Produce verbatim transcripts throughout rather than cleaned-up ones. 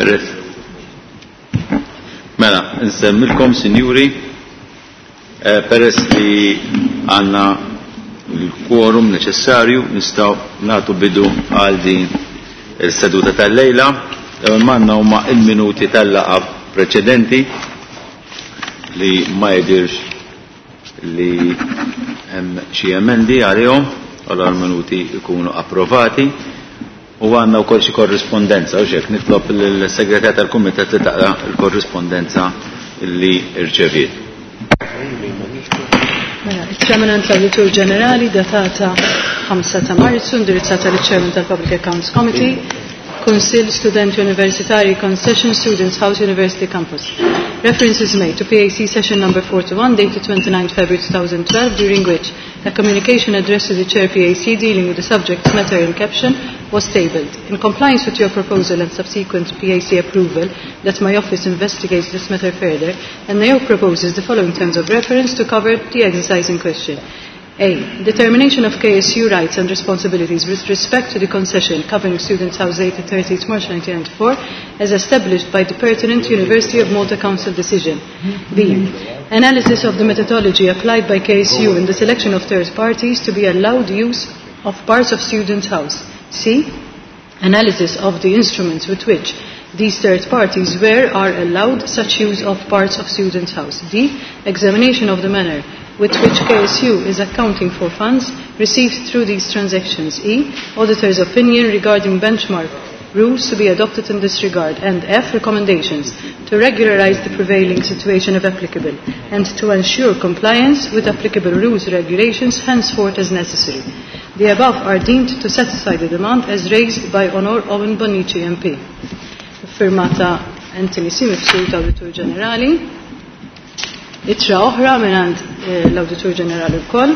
Peress. Mela, nsemmilkom, sinjuri, eh, peress li għanna l-quorum neċessarju nistgħu nagħtu bidu għal din il-seduta tal-lejla. L-ewwel manna huma il-minuti tal-laqgħa preċedenti li ma jidirx li hemm xi emendi għalihom, allora l-minuti jkunu approvati. U għandna wkoll xi korrispondenza u xek nitlob lill-segretar tal-kumitat li taqra l-korrispondenza li rċeviet. Mela, il-Chairman tal-Awditur Ġenerali datata ħamsa ta' Marzu, indirizzata liċ-Chairman tal-Public Accounts Committee, Kunsill Studenti Universitari Concession Students House University Campus. Reference is made to P A C session number forty-one dated twenty-ninth February twenty twelve, during which a communication addressed to the Chair P A C dealing with the subject matter in caption was tabled. In compliance with your proposal and subsequent P A C approval that my office investigates this matter further, N A O proposes the following terms of reference to cover the exercise in question. A. Determination of K S U rights and responsibilities with respect to the concession covering Students' House dated thirtieth March nineteen ninety-four as established by the pertinent University of Malta Council decision. B. Analysis of the methodology applied by K S U in the selection of third parties to be allowed use of parts of Students' House. C. Analysis of the instruments with which these third parties were are allowed such use of parts of Students' House. D. Examination of the manner with which K S U is accounting for funds received through these transactions. E. Auditor's opinion regarding benchmark rules to be adopted in this regard. And F. Recommendations to regularize the prevailing situation if applicable and to ensure compliance with applicable rules and regulations henceforth as necessary. The above are deemed to satisfy the demand as raised by Honor Owen Bonnici M P. Firmata Anthony C. Mifsud, Awditur Ġenerali. Ittra oħra mingħand eh, l-Awditur Ġenerali wkoll.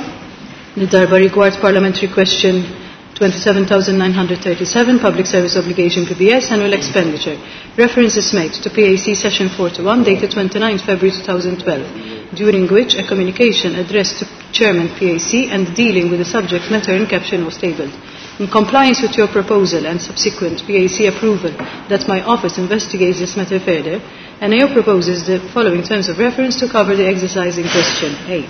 Darba rigward Parliamentary Question twenty-seven thousand nine hundred thirty-seven, Public Service Obligation P B S, Annual Expenditure. Reference is made to P A C Session forty-one, dated twenty-ninth February twenty twelve, during which a communication addressed to Chairman P A C and dealing with the subject matter in caption was tabled. In compliance with your proposal and subsequent P A C approval that my office investigates this matter further, N A O proposes the following terms of reference to cover the exercise in question. A.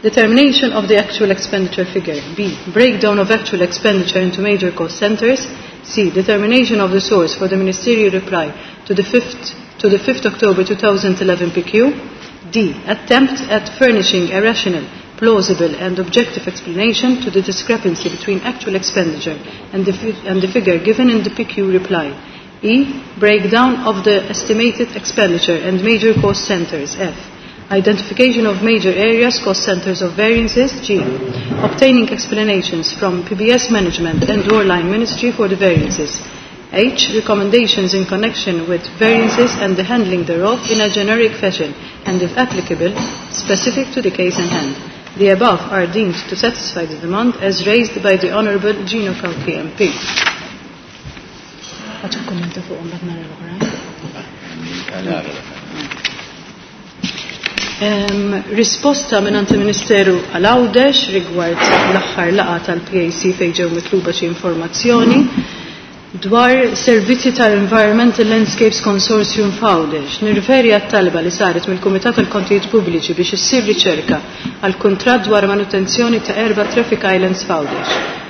Determination of the actual expenditure figure. B. Breakdown of actual expenditure into major cost centers. C. Determination of the source for the ministerial reply to the fifth, to the fifth October twenty eleven P Q. D. Attempt at furnishing a rational, plausible and objective explanation to the discrepancy between actual expenditure and the, fi- and the figure given in the P Q reply. E. Breakdown of the estimated expenditure and major cost centers. F. Identification of major areas, cost centers of variances. G. Obtaining explanations from P B S management and or line ministry for the variances. H. Recommendations in connection with variances and the handling thereof in a generic fashion and, if applicable, specific to the case in hand. The above are deemed to satisfy the demand as raised by the Honourable Gino Cauchi M P. Għadu kommenta fuq mbagħad nara l-oħra. Em, risposta minn il-Ministeru għal Għawdex rigward l-aħħar laqgħa tal-P A C fejn ġew mitluba xi informazzjoni dwar servizzi tal-Environmental Landscapes Consortium f'Għawdex. Nirriferi għat-talba li saret mill-Kumitat tal-Kontijiet Pubbliċi biex issir riċerka għal kuntratt dwar manutenzjoni ta' erba' traffic islands f'Għawdex.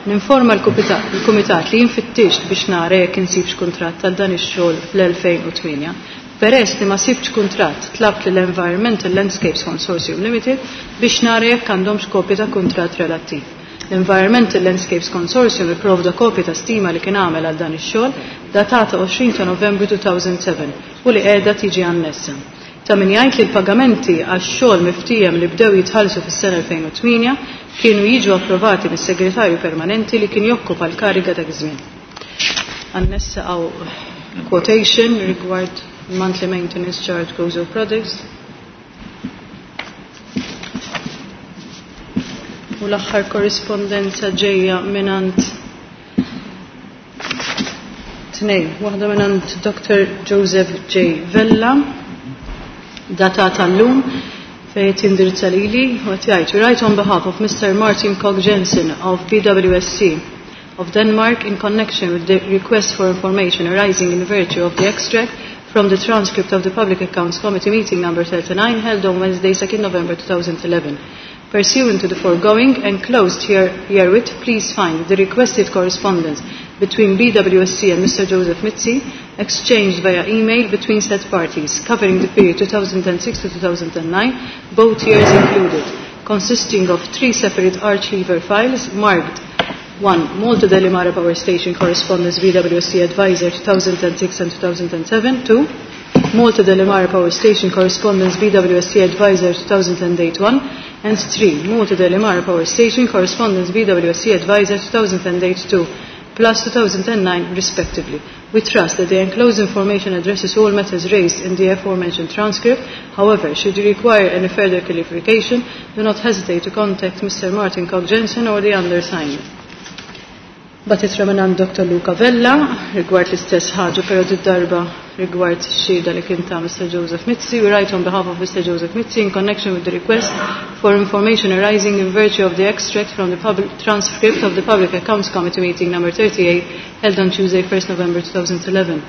Ninforma l-Kumitat li jien fittixt biex nara jekk insibx kuntratt għal dan ix-xogħol fl-elfejn u tmienja. Peress li ma sibx kuntratt, tlabt l-Environmental Landscapes Consortium Limited biex nara jekk għandhomx kopja ta' kuntratt relattiv. L-Environmental Landscapes Consortium ipprovda kopja ta' stima li kien għamel għal dan ix-xogħol datata għoxrin ta' Novembru elfejn u sebgħa u li qiegħda tiġi annessa. Ta' min jgħid li l-pagamenti għax-xogħol miftiehem li bdew jitħallsu fis-sena elfejn u tmienja kienu jiġu approvati mis-segretarju permanenti li kien jokkupa l-kariga dak iż-żmien. Annessa hawn quotation rigward monthly maintenance charge Gozo products. U l-aħħar korrispondenza ġejja mingħand tnejn, waħda mingħand Doctor Joseph J. Vella, datata llum, fejn tindirizza lili u qed jgħid, "Write on behalf of Mister Martin Koch Jensen of P W S C of Denmark in connection with the request for information arising in virtue of the extract from the transcript of the Public Accounts Committee meeting number thirty-nine held on Wednesday, second November two thousand eleven. Pursuant to the foregoing and closed here, herewith, please find the requested correspondence between B W S C and Mister Joseph Mizzi exchanged via email between said parties, covering the period two thousand six to two thousand nine, both years included, consisting of three separate archlever files marked one. Malta Delimara Power Station Correspondence B W S C Advisor two thousand six and two thousand seven, two. Malta Delimara Power Station Correspondence B W S C Advisor two thousand eight one, and three. Malta Delimara Power Station Correspondence B W S C Advisor two thousand eight two, plus two thousand nine respectively. We trust that the enclosed information addresses all matters raised in the aforementioned transcript. However, should you require any further clarification, do not hesitate to contact Mister Martin Koch Jensen or the undersigned. Batit Ramanan Doctor Luca Vella, rigward l-istess ħaġa, pero d-darba rigward xhieda li kien ta' Mister Joseph Mizzi. We write on behalf of Mister Joseph Mizzi in connection with the request for information arising in virtue of the extract from the public transcript of the Public Accounts Committee meeting number thirty-eight held on Tuesday, first November two thousand eleven.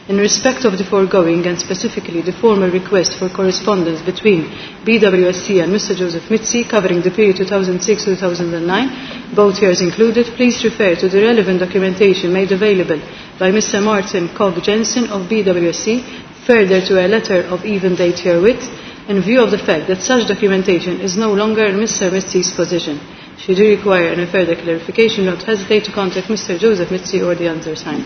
In respect of the foregoing and specifically the formal request for correspondence between B W S C and Mister Joseph Mizzi covering the period two thousand six to two thousand nine, both years included, please refer to the relevant documentation made available by Mister Martin Koch Jensen of B W S C, further to a letter of even date herewith, in view of the fact that such documentation is no longer in Mister Mizzi's possession. Should you require any further clarification, don't hesitate to contact Mister Joseph Mizzi or the undersigned.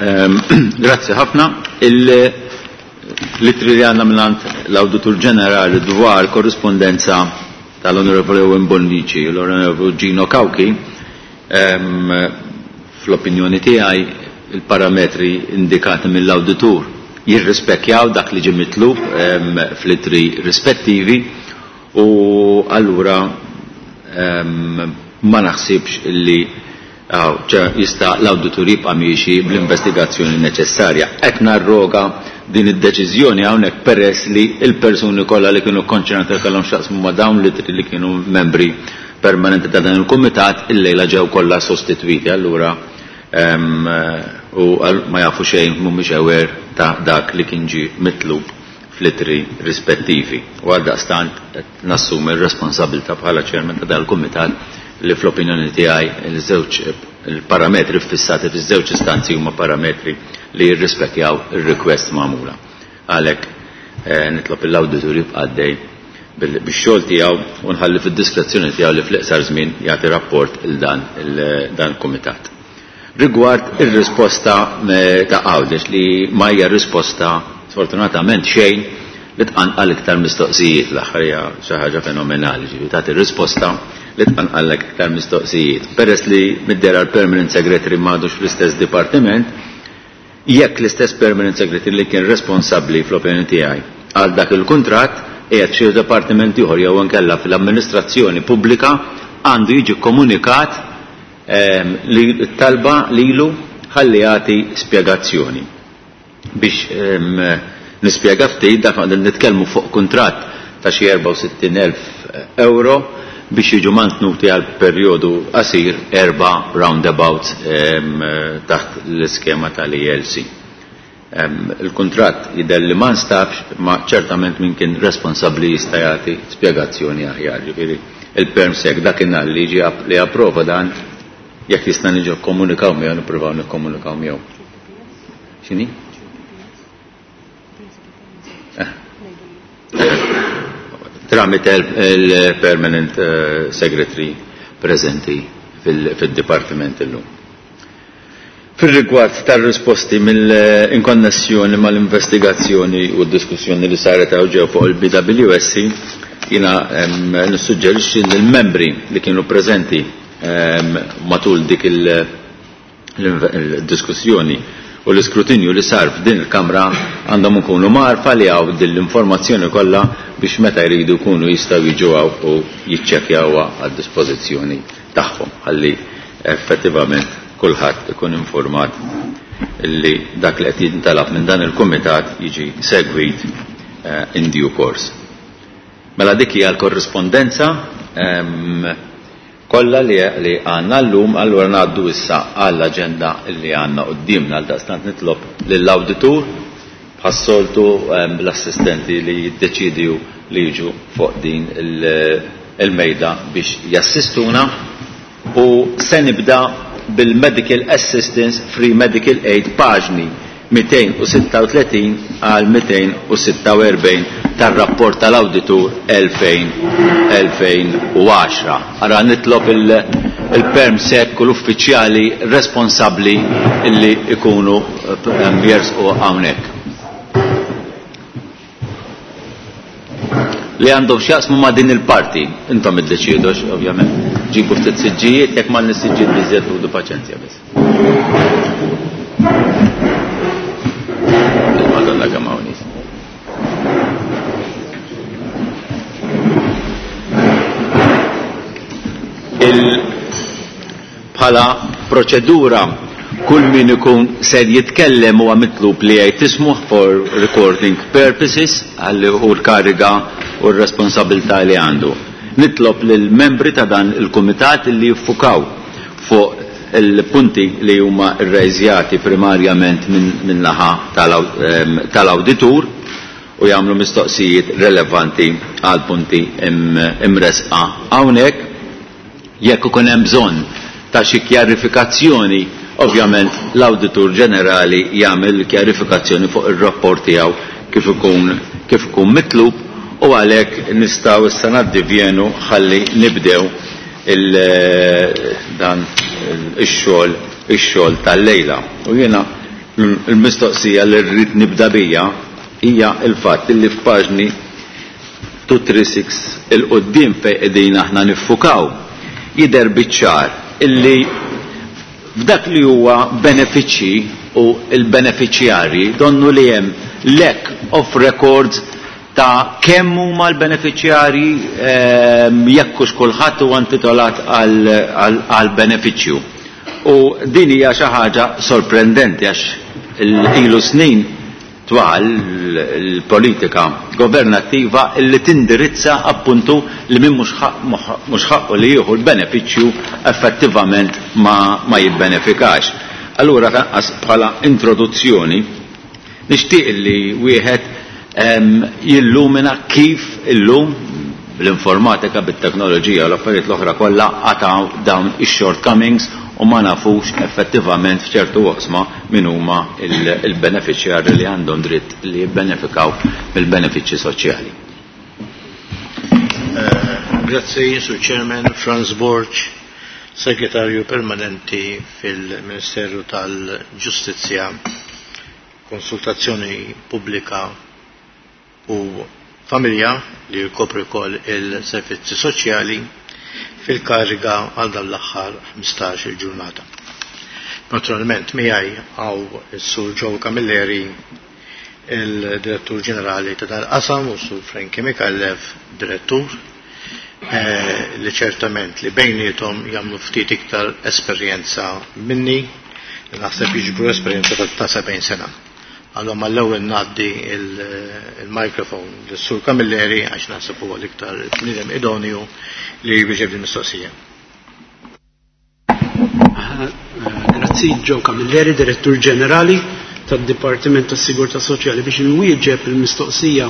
Um, Grazie ħafna. Il-litri li għanna minnant l-Awditur Ġenerali dwar korrispondenza tal-Onorevole Owen Bonnici u l-Onorevole Gino Cauchi, um, fl-opinjoni tiegħi il-parametri indikati mill-Awditur jirrispekjaw dak li ġie mitlub um, fl-ittri rispettivi u allura um, ma naħsibx illi jista l-awditur jibqa' miexi bl-investigazzjoni neċessarja. Qed narroga din id-deċiżjoni hawnhekk peress li l-persuni kollha li kienu konċernati kellhom x'jaqsmu ma' dawn li li kienu membri permanenti ta' dan il-kumitat illejla ġew kollha sostitwiti. Allura u ma jafu xejn mhumiex aware ta' dak li kien ġie mitlub fl-ittri rispettivi. U għaldaqstant qed nassumi r-responsabilità bħala chairman ta' dan il-kumitat li fl-opinjoni tiegħi il-żewġ il-parametri fissati fiż-żewġ istanzi huma parametri li jirrispekjaw ir-request magħmula. Għalhekk eh, nitlob l-awditur jibqa' għaddej bix-xogħol tiegħu u nħalli fid-diskrezzjoni tiegħu li fl-iqsar żmien jagħti rapport il dan dan il-kumitat. Rigward ir-risposta eh, ta' Għawdex li ma hija risposta sfortunatament xejn li tqanqal iktar mistoqsijiet, l-aħħar hija xi ħaġa fenomenali, ġifieri tagħti risposta li tqanqallek iktar mistoqsijiet. Peress li mid-dera l-Permanent Secretary m'għadux fl-istess dipartiment, jekk l-istess Permanent Secretary li kien responsabbli fl-opinjoni tiegħi għal dak il-kuntratt qiegħed xi dipartiment ieħor jew inkella fl-amministrazzjoni pubblika għandu jiġi komunikat ehm, li t-talba lilu ħalli jagħti spjegazzjoni. Biex ehm, nispjega ftit dak nitkellmu fuq kuntratt ta' xi erbgħa u sittin elf euro biex jiġu mantnuti għal perjodu qasir erba' roundabouts ehm, taħt l-iskema tal-E L C. Ehm, il-kuntratt jidher li ma nstabx, ma ċertament min kien responsabbli jista' jagħti spjegazzjoni aħjar. Ġifieri il-perm sec dakinhar li jiġi app-, li approva dan, jekk jista' niġu kkomunikaw miegħu nippruvaw nikkomunikaw miegħu. X'inhi? Eh. Tramite il-permanent, eh, secretary prezenti fil-dipartiment illum. Fil-rigward tal-risposti mill-inkonnessjoni mal-investigazzjoni u d-diskussjoni li saret hawn ġew fuq il-B W S C, jiena, em, nissuġġerixxi li l-membri li kienu preżenti, em, matul dik il-, il-diskussjoni u l-iskrutinju li sar f'din il-Kamra għandhom ikunu marfa li hawn din l-informazzjoni kollha biex meta jridu jkunu jistgħu jiġu hawn u jiċċekkjawha għad-dispożizzjoni tagħhom ħalli effettivament kulħadd ikun informat li dak li qed jintalab minn dan il-kumitat jiġi segwit, eh, in due course. Mela dik hija l-korrispondenza, ehm, kollha li għandna llum, allura ngħaddu issa għall-aġenda li għandna quddiemna. Għal daqstant nitlob lill-awditur bħas-soltu l-assistenti li jiddeċidu li jiġu fuq din il-mejda biex jassistuna, u se nibda bil-Medical Assistance Free Medical Aid paġni mitejn u sitta u tletin għal mitejn u sitta u erbgħin tar-rapport tal-awditur elfejn u għaxra. Ara nitlob il-perm sek u l-uffiċjali responsabbli illi ikunu jersqu hawnhekk. Li għandhom x'jaqsmu ma' din il-parti, intom iddeċidu ovvjament. Ġibu ftit siġġijiet, jekk ma nissiġġijiet biżżejjed ħudu paċenzja biss. Madonna kemm hawn nies. Bħala proċedura kull min ikun ser jitkellem huwa mitlub li jgħid ismu for recording purposes għalli hu l-kariga u r-responsabilità li għandu. Nitlob lill membri ta' dan il-kumitat li jiffukaw fuq il-punti li huma rrejżjati primarjament minn naħa tal-awditur u jagħmlu mistoqsijiet relevanti għal punti imresqa hawnhekk. Jekk ikun hemm bżonn ta' xi kjarifikazzjoni, ovvjament l-Awditur Ġenerali jagħmel kjarifikazzjoni fuq ir-rapport tiegħu kif ikun kif ikun mitlub, u għalhekk nistgħu issa naddivjenu ħalli nibdew il-dan ix-xogħol ix-xogħol tal-lejla. U jiena l-mistoqsija li rrid nibda bija hija l-fatt li f'paġni two three six il-qudiem fejn qegħdin aħna niffukaw jidher biċ-ċar illi f'dak li huwa benefiċċji u l-benefiċjarji donnu li hemm lack of records ta' kemm huma l-benefiċjarji, ehm, jekk hux kulħadd huwa intitolat għal benefiċċju. U din hija xi ħaġa sorprendenti għax ilu snin twal il-politika governattiva illi tindirizza appuntu li min mhux ħaqqu li jieħu l-benefiċċju effettivament ma, ma jibbenefikax. Allura tanqas bħala introduzzjoni nixtieq li wieħed, ehm, jillumina kif illum bl-informatika, bit-teknoloġija u l-affarijiet l-oħra kollha għataw dawn ix-shortcomings u ma nafux effettivament f'ċertu oqsma min huma il-beneficjarji li għandhom dritt li jibbenefikaw mill-benefiċċji soċjali. Eh, grazzi, Sur Chairman. Franz Borg, Segretarju Permanenti fil-Ministeru tal-Ġustizzja, Konsultazzjoni Pubblika u Familja li jkopri wkoll il-servizzi soċjali, fil-kariga għal dan l-aħħar ħmistax-il ġurnata. Naturalment miegħi hawn is-Sur Joe Camilleri, il-Direttur Ġenerali ta' dal-qasam, u s-Sur Frankie Micallef, Direttur, eh, li ċertament li bejnietom jagħmlu ftit iktar esperjenza minni, li naħseb jiġbru esperjenza ta' ta' sebgħin sena. Allora mal-ewwel ngħaddi il-mikrofon lis-Sur Camilleri għax naħseb huwa l-iktar bniedem idonju li jwieġeb din mistoqsija. Grazzi, Joe Camilleri, Direttur Ġenerali tad-Dipartiment tas-Sigurtà Soċjali, biex inwieġeb il-mistoqsija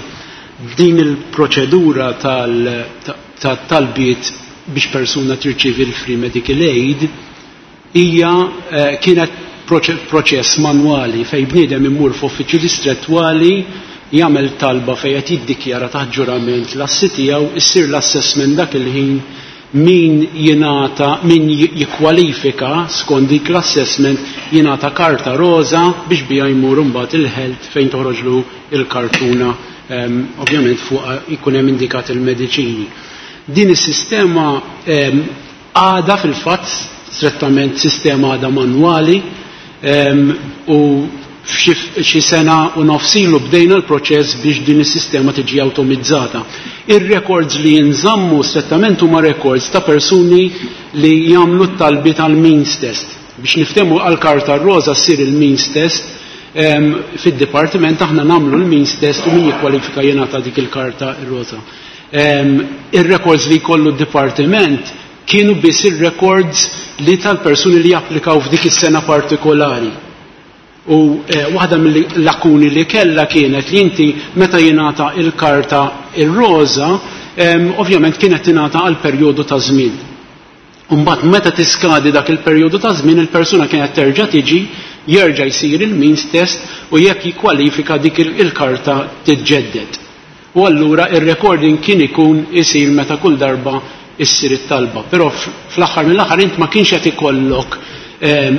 din il-proċedura tal-talbiet biex persuna tirċievi l-Free Medical Aid hija, eh, kienet proċess manwali fej bniedem imur f'uffiċċju distrettwali jagħmel talba fejn qed jiddikjara taħt ġurament l-assi tiegħu, issir l-assessment dak il-ħin min jingħata, min jikkwalifika skont dik l-assessment jingħata karta roża biex biha jmur imbagħad il-health fejn toħroġlu il-kartuna, ehm, ovvjament fuq ikun hemm indikat il-mediċini. Din is-sistema, ehm, għadha fil-fatt strettament sistema għadha manwali, ehm, u f'xi sena u nofsilu bdejna l-proċess biex din is-sistema tiġi awtomizzata. Ir-records li jinżammu strettament huma records ta' persuni li jagħmlu t-talbi tal-means test. Biex niftehmu għall-karta roża ssir il-means test, ehm, fid-dipartiment aħna nagħmlu l-means test u min jikkwalifika jingħata dik il-karta roża. Ehm, ir-records li jkollu d-dipartiment kienu biss ir-records li tal-persuni li japplikaw f'dik is-sena partikolari. U eh, waħda mill-lakuni li kellha kienet li inti meta jingħata il-karta ir-roża, eh, ovvjament kienet tingħata għal perjodu ta' żmien. Mbagħad meta tiskadi dak il-perjodu ta' żmien il-persuna kienet terġa' tiġi, jerġa' jsir il-means test u jekk jikkwalifika dik il-karta tiġġedded. U allura ir-recording kien ikun isir meta kull darba issir it-talba. Però fl-aħħar mill-aħħar int ma kienx qed ikollok ehm,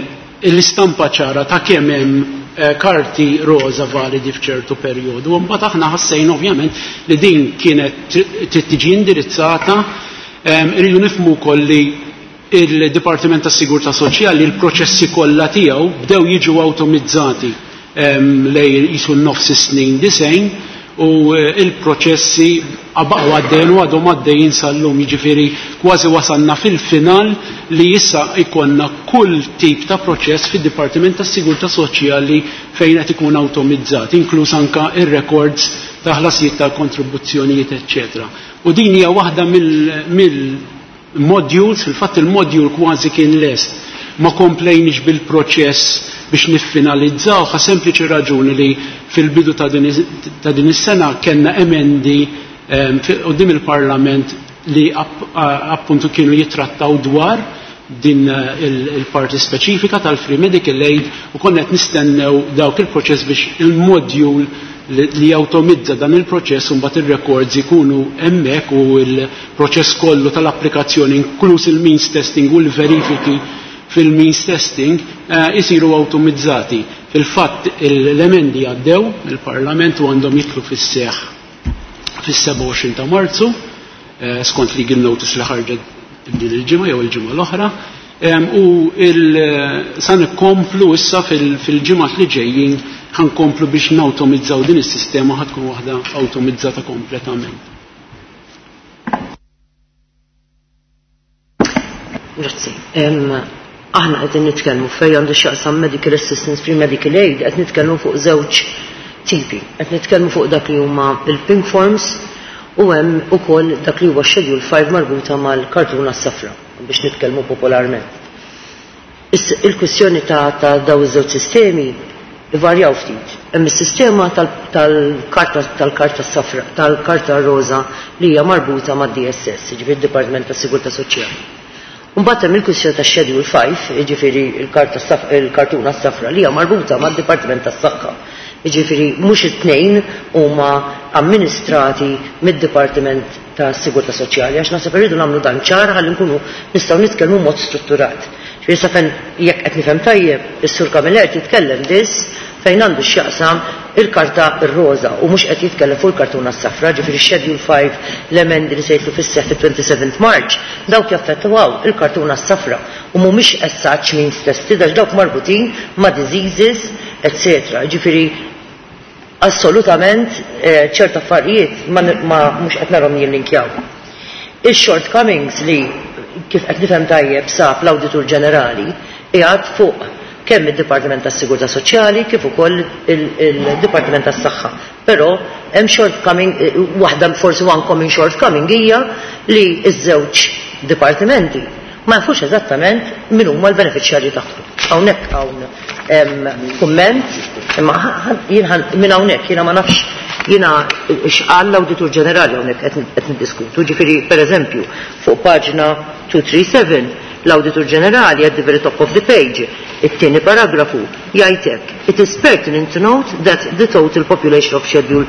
l-istampa ċara ta' kemm hemm eh, karti roża validi f'ċertu perjodu. U mbagħad aħna ħassejna ovvjament li din kienet trid tiġi indirizzata, ehm, irridu nifhmu wkoll li il-Dipartiment tas Sigurtà Soċjali il-proċessi kollha tiegħu bdew jiġu awtomizzati ehm, lejn qisu n-nofs is-snin disgħin u eh, il-proċessi baqgħu għaddejjin u għadhom għaddejjin sal-lum, jiġifieri kważi wasalna fil-final li issa ikonna kull tip ta' proċess fid-Dipartiment tas Sigurtà Soċjali fejn qed ikun awtomizzat, inkluż anka ir-records ta' ħlasijiet tal-kontribuzzjonijiet, eċċetera. U din hija waħda mill-modules, fil-fatt il-module kważi kien lest, ma komplejniex bil-proċess biex niffinalizzaw, għal sempliċi raġuni li fil-bidu ta' din is-sena kellna emendi quddiem il-Parlament li appuntu kienu jitrattaw dwar din il-parti speċifika tal-Free Medical Aid u konna qed nistennew dawk il-proċess biex il-module li jawtomizza dan il-proċess u mbagħad ir-records ikunu hemmhekk u l-proċess kollu tal-applikazzjoni inkluż il-means testing u l-verifiki fil-means testing isiru awtomizzati. Fil-fatt l-emendi għaddew il-Parlament u għandhom jidħlu fis-seħħ fis-sebgħa u għoxrin ta' Marzu, skont legal notice li ħarġet din il-ġimgħa jew il-ġimgħa l-oħra, u sa nkomplu issa fil-ġimgħat li ġejjin ħankomplu biex nawtomizzaw din is-sistema ħad tkun waħda awtomizzata kompletament. Grazzi. Aħna qegħdin nitkellmu fejn għandu x'jaqsam medical assistance free medical aid, qed nitkellmu fuq żewġ tipi. Qed nitkellmu fuq dak li huma il-pink forms u hemm ukoll dak li huwa schedule five marbuta mal-kartuna s-safra biex nitkellmu popolarment. Il-kwistjoni ta', ta daw iż-żewġ sistemi ivarjaw ftit. Hemm is-sistema tal-karta tal-karta safra, tal-karta roża li hija marbuta mad-D S S, jiġifieri d-Dipartiment tas-Sigurtà Soċjali. Mbagħad hemm il-kwistjoni ta' Schedule five, jiġifieri il-kartuna s-safra li hija marbuta mad-Dipartiment tas-Saħħa. Jiġifieri mhux it-tnejn huma amministrati mid-Dipartiment tas-Sigurtà Soċjali, għax naħseb irridu nagħmlu dan ċar ħalli nkunu nistgħu nitkellmu mod strutturat. Ġifieri sa fejn jekk qed nifhem tajjeb, is-Sur Camilleri titkellem biss fejn għandu x'jaqsam il-karta r-roża u mhux qed jitkellem fuq il-kartuna s-safra, ġifieri Schedule five l-emendi li se jitlu fis-seħħ fit-twenty-seventh March, dawk jaffettwaw il-kartuna s-safra u mhumiex as such means tested għax dawk marbutin ma' diseases, eccetera. Ġifieri assolutament ċerta affarijiet ma mhux qed narhom jillinkjaw. Il-shortcomings li kif qed nifhem tajjeb sab l-Awditur Ġenerali qiegħed fuq kemm id-Dipartiment tas-Sigurtà Soċjali kif ukoll il-Dipartiment tas-Saħħa. Però hemm shortcoming, waħda forsi one common shortcoming hija li ż-żewġ dipartimenti ma jafux eżattament min huma l-beneficjarji tagħhom. Hawnhekk hawn kumment, imma jien minn hawnhekk jiena ma nafx jiena x'qal l-Awditur Ġenerali hawnhekk qed niddiskutu. Ġifieri pereżempju fuq paġna two three seven l-Awditur Ġenerali at the very top of the page, it-tieni paragrafu jgħid hekk: It is pertinent to note that the total population of Schedule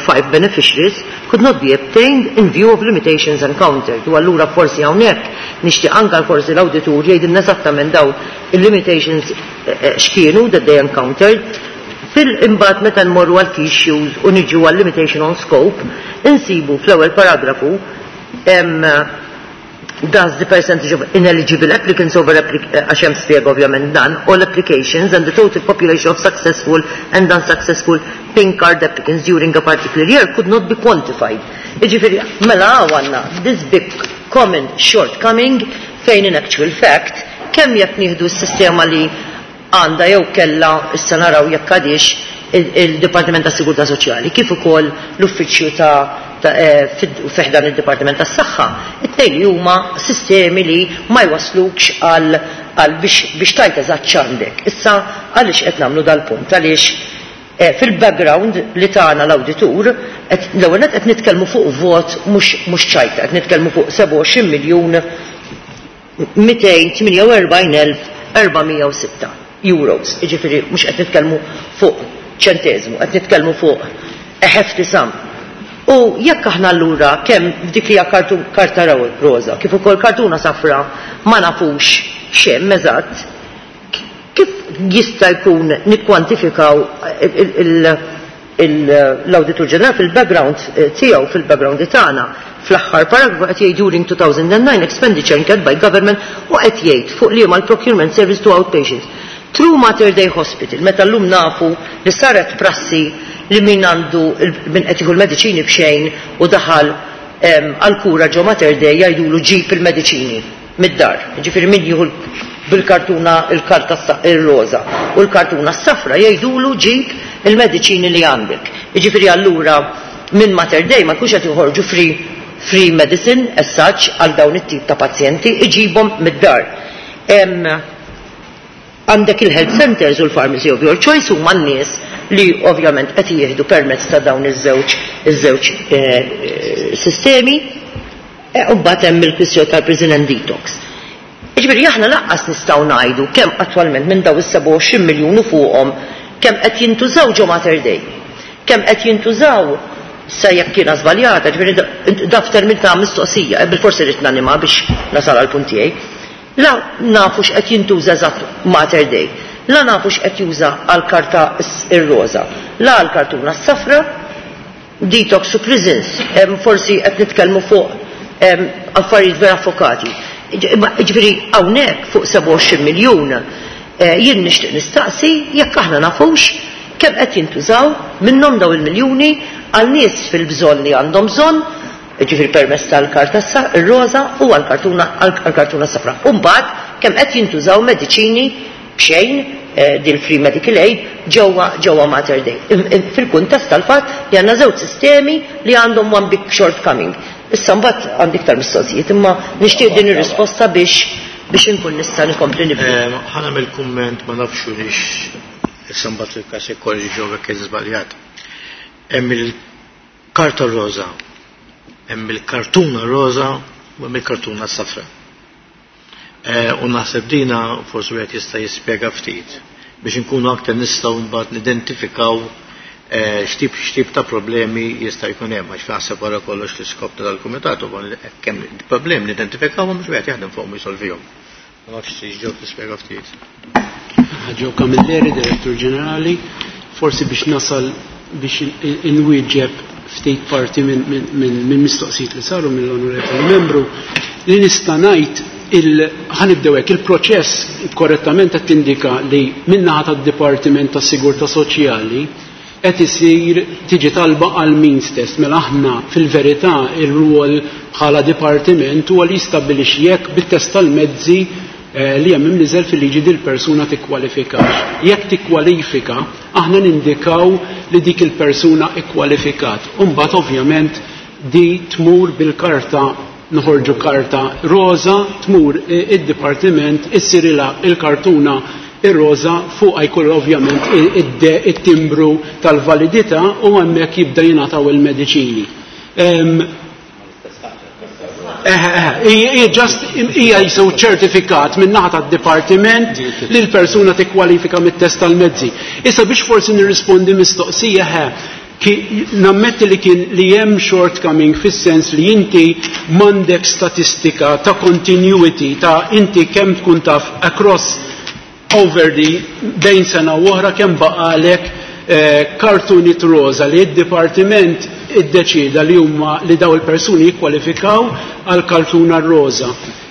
five beneficiaries could not be obtained in view of limitations encountered. U allura forsi hawnhekk nixtieq anke forsi l-awditur jgħidilna eżattament dawn il-limitations x'kienu that they encountered. Fil-imbagħad meta nmorru għal key issues u niġu għal limitation on scope, insibu fl-ewwel paragrafu does the percentage of ineligible applicants over għax hemm spjega ovvjament dan, all applications and the total population of successful and unsuccessful pink card applicants during a particular year could not be quantified. Jiġifieri mela għandna this big common shortcoming fejn in actual fact kemm jekk nieħdu s-sistema li għandha jew kellha issa naraw jekk għadix il-Dipartiment tas Sigurtà Soċjali kif ukoll l-Uffiċċju ta' fi ħdan id-Dipartiment tas-Saħħa, it-tnejn li huma sistemi li ma jwaslukx għal għal biex, biex tajt eżatt x'għandek. Issa għaliex qed nagħmlu dal-punt? Għaliex eh, fil-background li tagħna l-awditur, l-ewwel qed nitkellmu fuq vot mhux mhux ċajta, qed nitkellmu fuq sebgħa u għoxrin miljun mitejn tmienja u erbgħin elf erba' mija u sitta euros. Jiġifieri mhux qed nitkellmu fuq ċenteżmu, qed nitkellmu fuq a hefty sum. U jekk aħna allura kemm f'dik li hija karta roża, kif ukoll kartuna safra ma nafux x'hemm eżatt, kif jista' jkun nikkwantifikaw l-Awditur Ġenerali fil-background tiegħu, fil-background tagħna, fl-aħħar paragrafu qed jgħid during two thousand and nine expenditure incurred by government u qed jgħid fuq liema l-procurement service to outpatients. Through Mater Dei Hospital, meta llum nafu li saret prassi li min għandu min qed jieħu l-mediċini b'xejn u daħal għal-kura ġo Mater Dei jgħidulu ġib il-mediċini mid-dar. Ġifieri min jieħu bil-kartuna il-karta ir-roża u l-kartuna s-safra jgħidulu ġib il-mediċini li għandek. Ġifieri allura minn Mater Dei ma jkunx qed joħorġu free, free medicine as such għal dawn it-tip ta' pazjenti, iġibhom mid-dar. Għandek il-health centers u l-pharmacy of your choice huma n-nies li ovvjament qed jieħdu permezz ta' dawn iż-żewġ, iż-żewġ, eh, eh, sistemi, eh, u mbagħad hemm il-kwistjoni tal-prison and detox. Jiġifieri aħna lanqas nistgħu ngħidu kemm attwalment minn dawn is-sebgħa u għoxrin miljun u fuqhom kemm qed jintużaw ġo Mater Dei, kemm qed jintużaw sa jekk kiena żbaljata, ġifieri da f'termin ta' mistoqsija, eh, bil-forsi rrid nanima biex nasal għal punt tiegħi. La nafu x'qed jintuża eżatt Mater Dei, la nafu x'qed juża għal karta ir-roża, la għal kartuna s-safra, detox u prisons, em, forsi qed nitkellmu fuq, em, affarijiet vera fokati. Ġifieri hawnhekk fuq sebgħa u għoxrin miljun, eh, jien nixtieq nistaqsi jekk aħna nafux kemm qed jintużaw minnhom daw il-miljuni għal nies fil-bżonn li għandhom bżonn, ġifieri permezz tal-karta ir-roża u għall-kartuna, għall-kartuna safra. U mbagħad kemm qed jintużaw mediċini b'xejn, eh, din free medical aid ġewwa, ġewwa Mater Dei. Fil-kuntest tal-fatt li għandna żewġ sistemi li għandhom one big shortcoming. Issa mbagħad għandi iktar mistoqsijiet, imma nixtieq din ir-risposta biex, biex inkun nista' nkompli nibni. Eh, ħa nagħmel kumment, ma nafx lix issa mbagħad il-każ ikkorriġu jekk żbaljat. Hemm il-karta roża, hemm il-kartuna roża u hemm il-kartuna safra. Eh, u naħseb dina forsi wieħed jista' jispjega ftit biex inkunu aktar nistgħu mbagħad nidentifikaw, eh, x'tip, x'tip ta' problemi jista' jkun hemm, għax naħseb wara kollox l-iskop ta' dal-kumitat huwa li kemm problemi nidentifikawhom biex wieħed jaħdem fuqhom u jsolvihom. Ma nafx xi ġew tispjega ftit. Joe Camilleri, Direttur Ġenerali, forsi biex nasal biex inwieġeb ftit parti minn, minn, minn, minn mistoqsijiet li saru mill-onorevoli membru, li nista' ngħid il-, ħanibdew hekk, il-proċess korrettament qed tindika li min-naħa tad-Dipartiment tas-Sigurtà Soċjali qed isir tiġi talba għal means test. Mela aħna fil-verità ir-rwol bħala dipartiment huwa li jistabbilixxi jekk bit-test tal-mezzi, eh, li hemm imniżel fil-liġi dil persuna tikkwalifikax. Jekk tikkwalifika, aħna nindikaw li dik il-persuna ikkwalifikat. U mbagħad ovvjament di tmur bil-karta, noħorġu karta roża, tmur id-dipartiment, issirilha il-kartuna ir-roża, fuqha jkollu ovvjament it-timbru tal-validità u hemmhekk jibda jingħataw il-mediċini. Em, eh, eh, eh, just hija jisew ċertifikat minn naħa tad-dipartiment li l-persuna tikkwalifika mit-test tal-mezzi. Issa biex forsi nirrispondi mistoqsija, eh, ki-, nammetti li kien li hemm shortcoming fis-sens li inti m'għandek statistika ta' continuity ta' inti kemm tkun taf across over the bejn sena u oħra kemm baqalek, eh, kartuni roża li d-dipartiment iddeċida li huma li daw il-persuni jikkwalifikaw għal kartuna roża.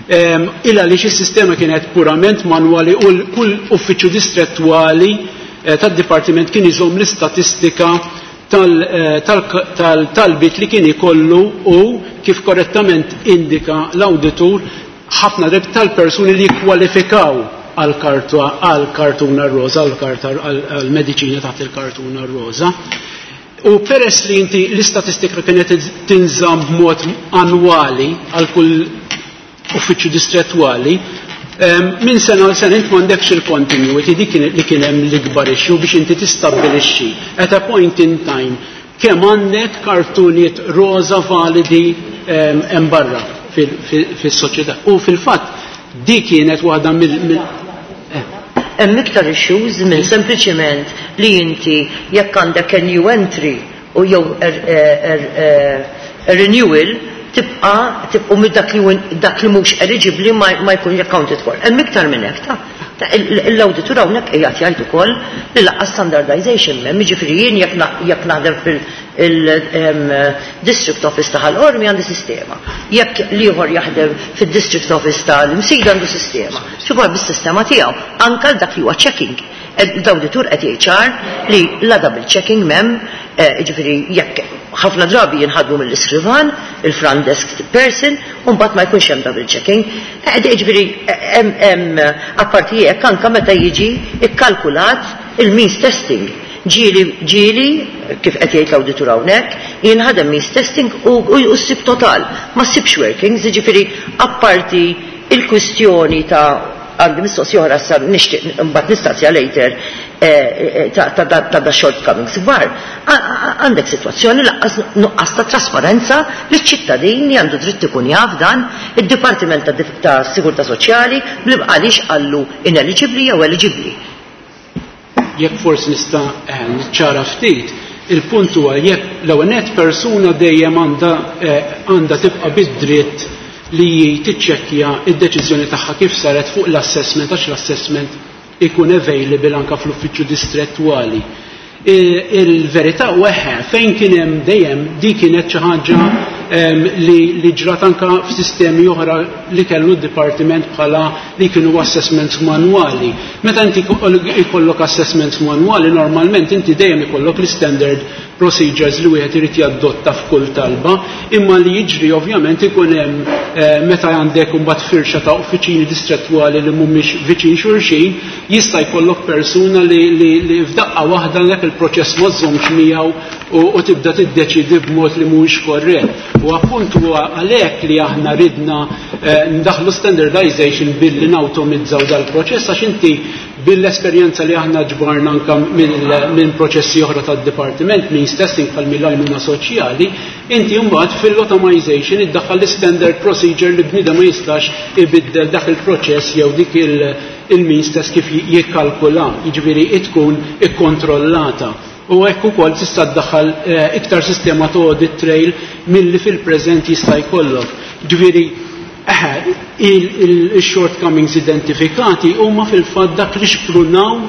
Em, illa li xi sistema kienet purament manwali u l-, kull uffiċċju distrettwali, eh, tad-dipartiment kien iżomm l-istatistika tal-, eh, tal-, tal-, tal-talbit li kien ikollu u kif korrettament indika l-awditur ħafna drabi tal-persuni li jikkwalifikaw għal-kartuna roża, għal-karta, għal-mediċina taħt il-kartuna roża. U peress li inti l-istatistika kienet tinżamm b'mod annwali għal kull uffiċċju distrettwali, minn sena għal sena int m'għandekx il-continuity dik li kien hemm l-ikbar issue biex inti tistabbilixxi at a point in time kemm għandek kartunijiet roża validi hemm barra fis-soċjetà. U fil-fatt dik kienet waħda mill Hemm iktar issues minn sempliċiment li inti jekk għandek a new entry u jew a renewal tibqa' tibqu minn dak li dak li mhux eligibbli ma jkunx accounted for. Hemm iktar minn hekk ta' l-awditur hawnhekk qiegħed jgħid ukoll li lanqas standardization m'hemm, jiġifieri jien jekk naħdem fil-district office ta' Ħal Qormi għandi sistema. Jekk l-ieħor jaħdem fid-district office tal-Imsida għandu sistema. Xi bis-sistema tiegħu anke dak li huwa checking. L-awditur qed jgħid ċar li la double checking m'hemm, jiġifieri jekk ħafna drabi jinħadmu mill-iskrivan, il-front desk person, u mbagħad ma jkunx hemm double checking. Jiġifieri hemm apparti hekk anke meta jiġi ikkalkulat il-means testing. Ġieli, ġieli, kif qed jgħid l-awditur hawnhekk, jinħadem means testing u ssib total, ma ssibx workings, jiġifieri apparti il-kwistjoni ta' għandi mistoqsija oħra sa nixtieq mbagħad nistaqsija later ta' da shortcomings kbar. Għandek sitwazzjoni lanqas nuqqas ta' trasparenza li ċ-ċittadin li għandu dritt ikun jaf dan id-Dipartiment ta' Sigurtà Soċjali għaliex qallu ineligibbli jew eligibbli. Jekk forsi nista' niċċara ftit, il-punt huwa jekk l-ewwel nett persuna dejjem għandha għandha tibqa' bid-dritt li tiċċekkja id-deċiżjoni tagħha kif saret fuq l-assessment, għax l-assessment ikun available anka fl-uffiċċju distrettwali. Il-verità u eħe, fejn kien hemm dejjem di kienet xi ħaġa li ġrat anka f'sistemi oħra li kellu d-dipartiment bħala li kienu assessments manwali. Meta inti ikollok assessments manwali, normalment inti dejjem ikollok l-standard procedures li wieħed irid jadotta f'kull talba, imma li jiġri ovvjament ikun hemm meta għandek imbagħad firxa ta' uffiċini distrettwali li mhumiex viċin xulxin, jista' jkollok persuna li, li, li f'daqqa waħda dak il-proċess ma żommx miegħu u, u tibda tiddeċidi b'mod li mhuwiex korrett. U appunt huwa għalhekk li aħna ridna eh, ndaħlu standardization billi nawtomizzaw dal-proċess, għax inti bil-esperjenza li aħna ġbarna anka minn proċessi oħra tad-dipartiment, means testing bħal mill-għajnuna soċjali, inti mbagħad fil-automization iddaħħal l-standard procedure li bniedem ma jistax ibiddel dak il-proċess jew dik il-means test kif jikkalkula, jiġifieri tkun ikkontrollata. U hekk ukoll tista' ddaħħal iktar sistema ta' audit trail milli fil-preżent jista' jkollok. Ġifieri il-shortcomings identifikati huma fil-fatt dak li xprunaw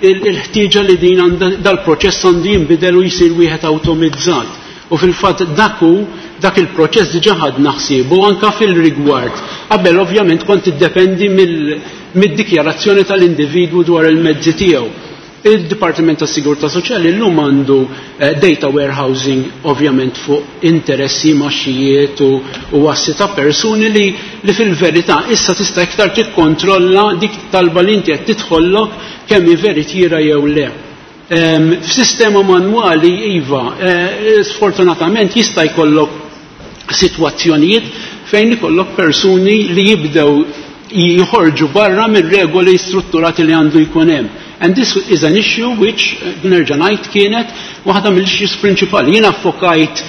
il-ħtieġa li din dal-proċess għandu jinbidel u jsir wieħed awtomizzat. U fil-fatt dak hu dak il-proċess diġà ħadna ħsiebu anka fil-rigward. Qabel ovvjament kont tiddependi mid-dikjarazzjoni tal-individwu dwar il-mezzi tiegħu. Il-Dipartiment tas Sigurtà Soċjali llum għandu data warehousing ovvjament fuq interessi, maxxijiet u, u assi ta' persuni li, li fil-verità issa tista' iktar tikkontrolla dik talba li inti qed tidħollok kemm hi veritiera jew le. F'sistema manwali iva, sfortunatament jista' jkollok sitwazzjonijiet fejn ikollok persuni li jibdew jħorġu barra mir-regoli strutturati li għandu jkun hemm. And this is an issue which, nerġa' ngħid, kienet waħda mill-issues prinċipali. Jiena ffokajt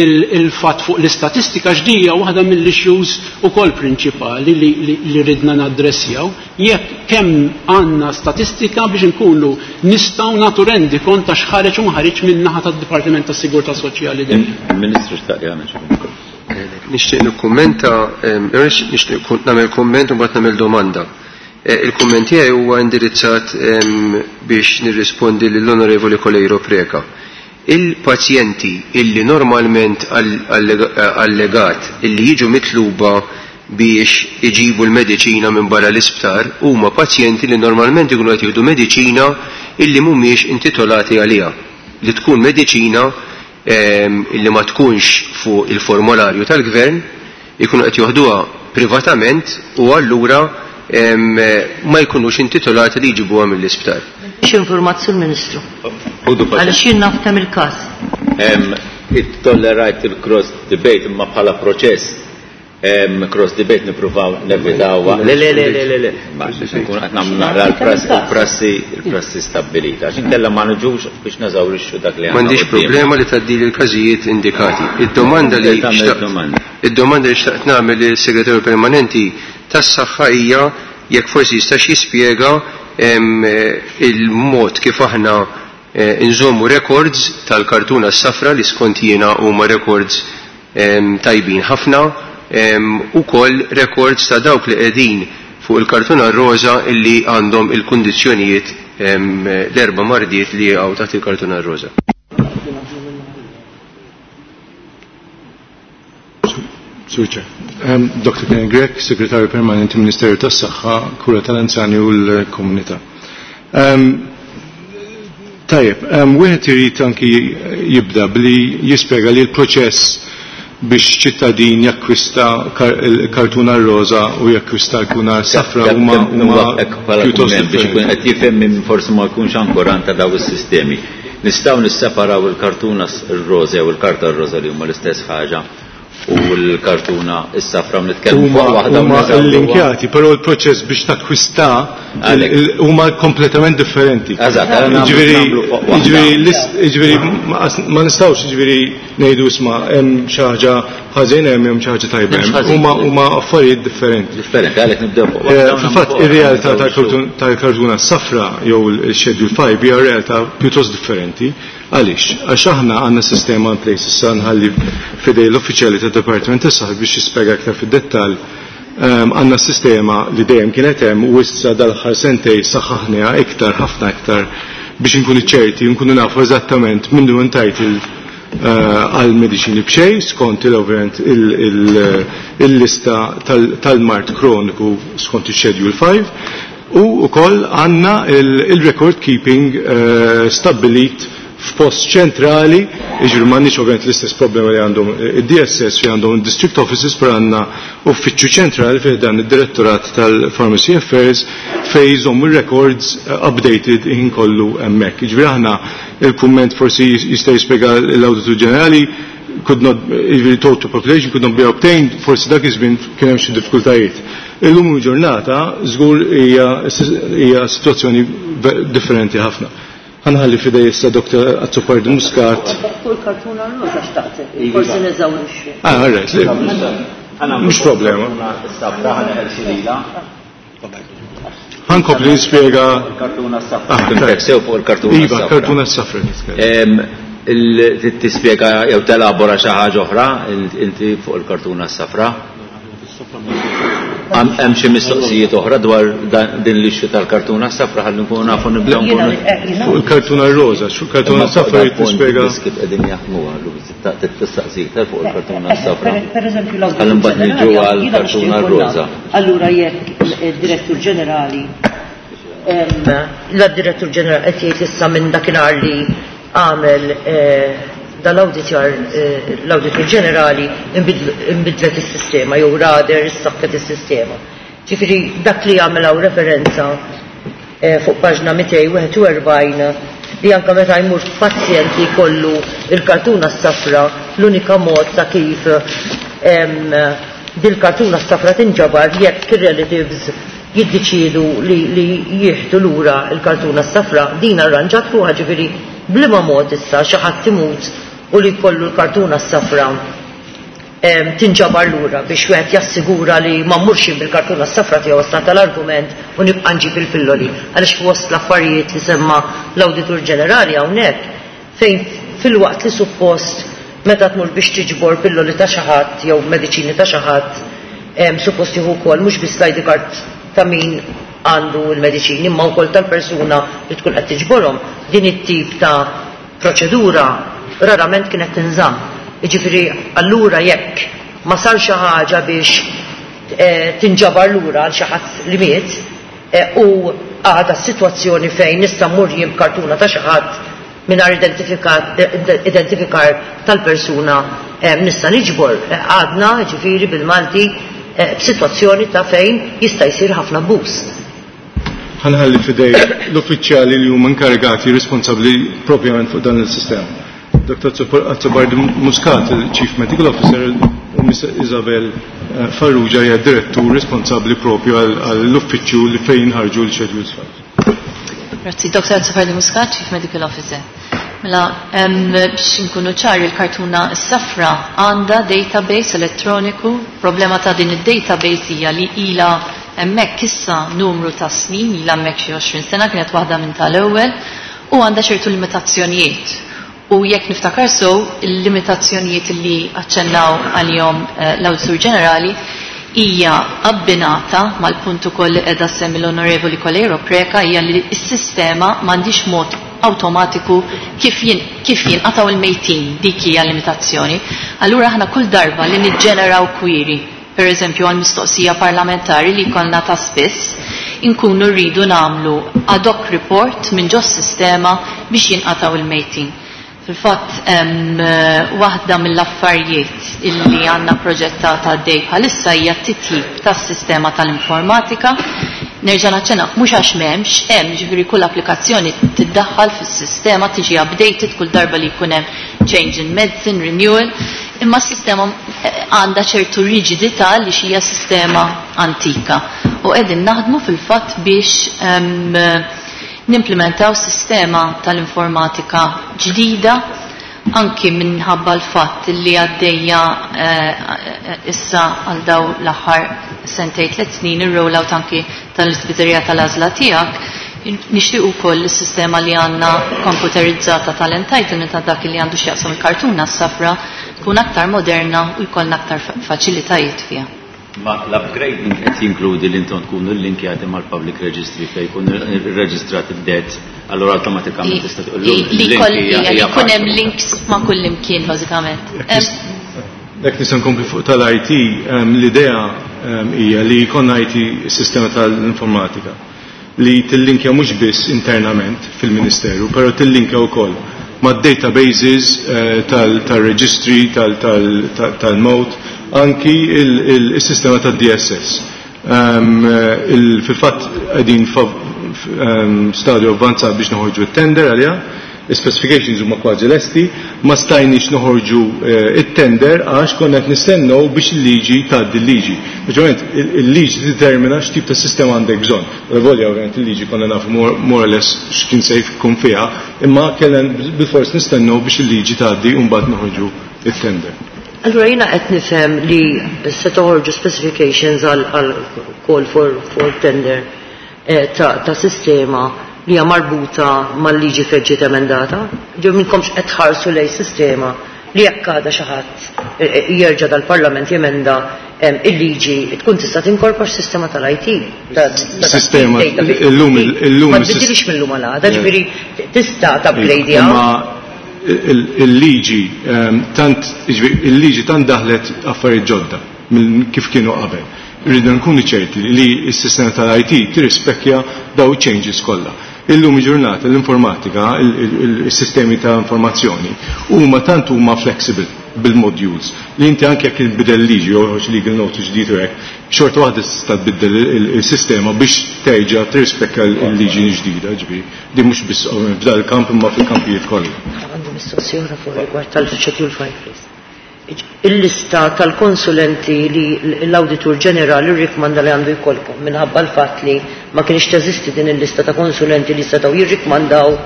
il-fatt fuq l-istatistika ġdija waħda mill-issues ukoll prinċipali li, li, li ridna naddressjaw. Jekk kemm għandna statistika biex nkunu nistgħu nagħtu rendi kont ta' x'ħareġ u ma ħareġ min-naħa tad-Dipartiment tas-Sigurtà Soċjali dejjem. Il-Ministru xtaq jagħmel xi Nixtieq nikkummenta, nixtieq nagħmel kumment u mbagħad nagħmel domanda. Il-kumment tiegħi huwa indirizzat biex nirrispondi lill-Onorevoli Coleiro Preca. Il-pazjenti illi normalment allegat illi jiġu mitluba biex iġibu l-mediċina minn barra l-isptar huma pazjenti li normalment ikunu qed jieħdu mediċina illi mhumiex intitolati għaliha, li tkun mediċina illi ma tkunx fuq il-formolarju tal-gvern, ikunu qed joħduha privatament u allura ma jkunux intitolati li jġibuha mill-isptar. X'informat sur Ministru? Għaliex jien naf kemm il-każ. Tollerajt il-cross debate imma bħala proċess cross debate nippruvaw nevitaw. Le le le le le le. Ma nkun qed nagħmlu naqra l-prassi il-prassi stabbilita. Għax inkella ma niġux biex neżawrixxu dak li għandna. M'għandix problema li tgħaddili l-każijiet indikati. Id-domanda li id-domanda li xtaqt nagħmel lis-Segretarju Permanenti tas-Saħħa hija jekk forsi jistax jispjega il-mod kif aħna nżommu records tal-kartuna s-safra li skont jiena huma records tajbin ħafna, u koll records ta' dawk li qegħdin fuq il-kartuna roża illi għandhom il-kundizzjonijiet l-erba' mardiet li jaqgħu taħt il-kartuna roża. Sur Chair. Doctor Ken Grech, Segretarju Permanenti Ministeru tas-Saħħa, Kura tal-Anzjani u l-Komunità. Tajjeb, wieħed irid anki jibda billi jispjega li l-proċess biex ċittadin jakkwista kartuna roża u jakkwista kartuna safra huma pjuttost biex ikun qed jifhem min forsi ma jkunx ankorant ta' daw is-sistemi. Nistgħu nisseparaw il-kartuna r-roża jew il-karta r-roża li huma l-istess ħaġa u l-kartuna s-safra nitkellmu fuq waħda huma linkjati, però l-proċess biex takkwista huma kompletament differenti. Ġifieri ma nistgħux ġifieri ngħidu isma' hemm xi ħaġa ħażin hemm hemm xi ħaġa tajba. Huma huma affarijiet differenti. Differenti, għalhekk nibdew fuq. Fil-fatt ir-realtà tal-kartuna s-safra jew il-Schedule five hija realtà pjuttost differenti. Għaliex? Għax aħna għandna sistema in place issa nħalli fidej l-uffiċjali tad-Dipartiment tas-Saħħa biex jispjega aktar fid-dettall. Għandna sistema li dejjem kienet hemm u issa dal-aħħar sentej saħħaħniha iktar ħafna iktar biex inkunu ċerti nkunu nafu eżattament min hu entitled għal mediċini b'xejn skont il-ovvjament il-lista tal-mart kroniku skont il-Schedule five u wkoll għandna il-record keeping stabbilit f'post ċentrali, jiġifieri m'għandniex ovvjament l-istess problema li għandhom id-D S S li għandhom district offices, però għandna uffiċċju ċentrali fih dan id-Direttorat tal-Pharmacy Affairs fejn jżommu records updated ħin kollu hemmhekk. Jiġifieri aħna il-kumment forsi jista' jispjega l-Awditur Ġenerali could not, jiġifieri total population could not be obtained, forsi dak iż-żmien kien hemm xi diffikultajiet. Illum il-ġurnata żgur hija sitwazzjoni differenti ħafna. Ħanħalli fidej issa Doctor Azzopardi Muscat. Fuq il-kartuna roża xtaqt, forsi neżawrixxi. Ah, all right. Mhux problema. Ħankompli nispjega. Il-kartuna s-safra. Sew fuq il-kartuna s-safra. Iva, kartuna s-safra nitkellem. Tispjega jew telabora xi ħaġa oħra inti fuq il-kartuna s-safra? Hemm xi mistoqsijiet oħra dwar din l-issue tal-kartuna s-safra ħalli nkunu nafu nibdew nkunu. Fuq il-kartuna roża, fuq il-kartuna s-safra jrid tispjega. Kif qegħdin jaħdmuha tistaqsi iktar fuq il-kartuna s-safra. Pereżempju l-Ħalli mbagħad niġu għall-kartuna roża. Allura jekk id-Direttur Ġenerali la-Direttur Ġenerali qed jgħid issa minn dakinhar li għamel dal-awditjar l-Awditur Ġenerali imbidlet is-sistema jew rader issaħħet is-sistema. Ġifieri dak li jagħmel hawn referenza fuq paġna mitejn wieħed u erbgħin li anke meta jmur pazjent li jkollu il-kartuna s-safra l-unika mod ta' kif dil-kartuna s-safra tinġabar jekk ir-relatives jiddeċiedu li, li jieħdu lura il-kartuna s-safra, din arranġat ruħha, ġifieri bliema mod issa xi ħadd imut u li jkollu l-kartuna s-safra tinġabar lura biex wieħed jassigura li ma mmurx bil-kartuna s-safra tiegħu issa tal-argument u nibqa' nġib il-pilloli. Għaliex fost l-affarijiet li semma l-Awditur Ġenerali hawnhekk fejn fil-waqt li suppost meta tmur biex tiġbor pilloli ta' xi ħadd jew mediċini ta' xi ħadd, suppost jieħu wkoll mhux biss l-I D card ta' min għandu l-mediċini imma wkoll tal-persuna li tkun qed tiġborhom, din it-tip ta' proċedura rarament kienet tinżamm. Jiġifieri allura jekk ma sar xi ħaġa biex tinġabar lura għal xi ħadd li miet u għadha s-sitwazzjoni fejn nista' mmur jien b'kartuna ta' xi ħadd mingħajr identifikar tal-persuna nista' niġbor, għadna ġifieri bil-Malti b'sitwazzjoni ta' fejn jista' jsir ħafna abbuż. Ħa nħalli f'idejn l-uffiċjali li huma inkarigati responsabbli propjament fuq dan il-sistema. Dottor Azzopardi Muscat, il-Chief Medical Officer, u Miss Isabel eh, Farrugia hija direttur responsabbli propju għall-uffiċċju li fejn ħarġu l-schedules five. Grazzi, Dottor Azzopardi Muscat, Chief Medical Officer. Mela, biex nkunu ċari, il-kartuna s-safra għandha database elettroniku. Problema ta' din id-database hija li ila hemmhekk issa numru ta' snin, ila hemmhekk xi għoxrin sena, kienet waħda minn tal-ewwel, u għandha ċertu limitazzjonijiet. U jekk niftakar sew, il-limitazzjonijiet li aċċennaw għalihom eh, l-Awditur Ġenerali hija abbinata mal-punt ukoll li qiegħda semmi l-Onorevoli Coleiro Preca, hija li s-sistema m'għandix mod automatiku kif jin, kif jinqataw il-mejtin, dik hija limitazzjoni. Allura aħna kull darba li niġġeneraw query, per eżempju għal mistoqsija parlamentari li jkollna ta' spiss, inkunu rridu nagħmlu ad hoc report minn ġos sistema biex jinqataw il-mejtin. Fil-fatt, waħda mill-affarijiet illi għandna proġettata għaddej bħalissa hija t-titjib tas-sistema tal-informatika. Nerġa' naċċenna, mhux għax m'hemmx, hemm, ġifieri kull applikazzjoni tiddaħħal fis-sistema, tiġi updated kull darba li jkun hemm change in medicine, renewal, imma s-sistema għandha ċertu riġidità li xija sistema antika. U qegħdin naħdmu fil-fatt biex em, nimplementaw sistema tal-informatika ġdida, anki minħabba l-fatt li għaddejja, eh, issa għal daw l-aħħar sentej tliet snin ir-rollout anki tal-ispiżerija tal-għażla tiegħek, nixtieq ukoll is-sistema li għandna komputerizzata tal-entitlement ta' dak li għandu x'jaqsam il-kartuna s-safra tkun aktar moderna u jkollna aktar fa-, faċilitajiet fiha. Ma l-upgrading qed jinkludi li intom tkunu linkjati mal-public registry fejn jkun irreġistrat id-debt, allura awtomatikament tista' tqul Li li koll hija li jkun hemm links ma' kull imkien bażikament. Jekk nista' nkompli fuq tal-I T, ehm, l-idea, ehm, hija li jkollna I T sistema tal-informatika li tillinkja mhux biss internament fil-Ministeru, però tillinkja wkoll ma' databases, eh, tal-, tal-reġistri, tal-, tal-, tal-, tal-mot, anki il-, il-, il-sistema tad-D S S. Ehm, il-, fil-fatt qegħdin fa-, ehm, stadju avvanzat biex noħorġu it-tender għalija, specifications huma kważi lesti, ma stajniex noħorġu, eh, it-tender għax konna qed nistennew biex il-liġi tgħaddi l-liġi. Naturalment il-liġi determina x'tip ta' sistema għandek bżonn. Volja ovvjament il-liġi konna nafu more, more or less x'kien se jkun fiha, imma kellna bilfors nistennew biex il-liġi tgħaddi u mbagħad noħorġu it-tender. Allura jiena qed nifhem li se toħorġu specifications għal, għal call for, for tender, eh, ta', ta' sistema li hija marbuta mal-liġi fejn ġiet emendata. Ġew minnkomx qed tħarsu lej sistema li jekk għadha xi ħadd, eh, eh, jerġa' dal-Parlament jemenda, em, il-liġi tkun tista' tinkorpor sistema tal-I T. Ta-, ta-, Sistema, database. illum il-, illum Ma il-sis- tbiddilix mill-lum għal għada, Eh. ġifieri tista' tabblejdi Imma hawn. il-, il-liġi, ehm, tant, ġifieri, il-liġi tant daħlet affarijiet ġodda minn kif kienu qabel. Rridu nkunu ċerti li s-sistema tal-I T tirrispekkja daw changes kollha. Illum il-ġurnata l-informatika, il-, il-, il-sistemi ta' informazzjoni huma tant huma flexible bil-modules li inti anke jekk tbidel liġi jew joħroġ legal notice ġdid u hekk, xorta waħda tista' tbiddel il-, il-, il-sistema biex terġa' tirrispekka l-liġi ġdida, ġifieri. Din mhux biss f'dan il-kamp imma fil-kampijiet kollha. Għandi mistoqsija oħra fuq rigward tal-schedule five, please. Il-lista tal-konsulenti li l-Awditur Ġenerali rrikmanda li għandu jkollkom minħabba l-fatt li ma kienx teżisti din il-lista ta' konsulenti li setgħu jirrikmandaw,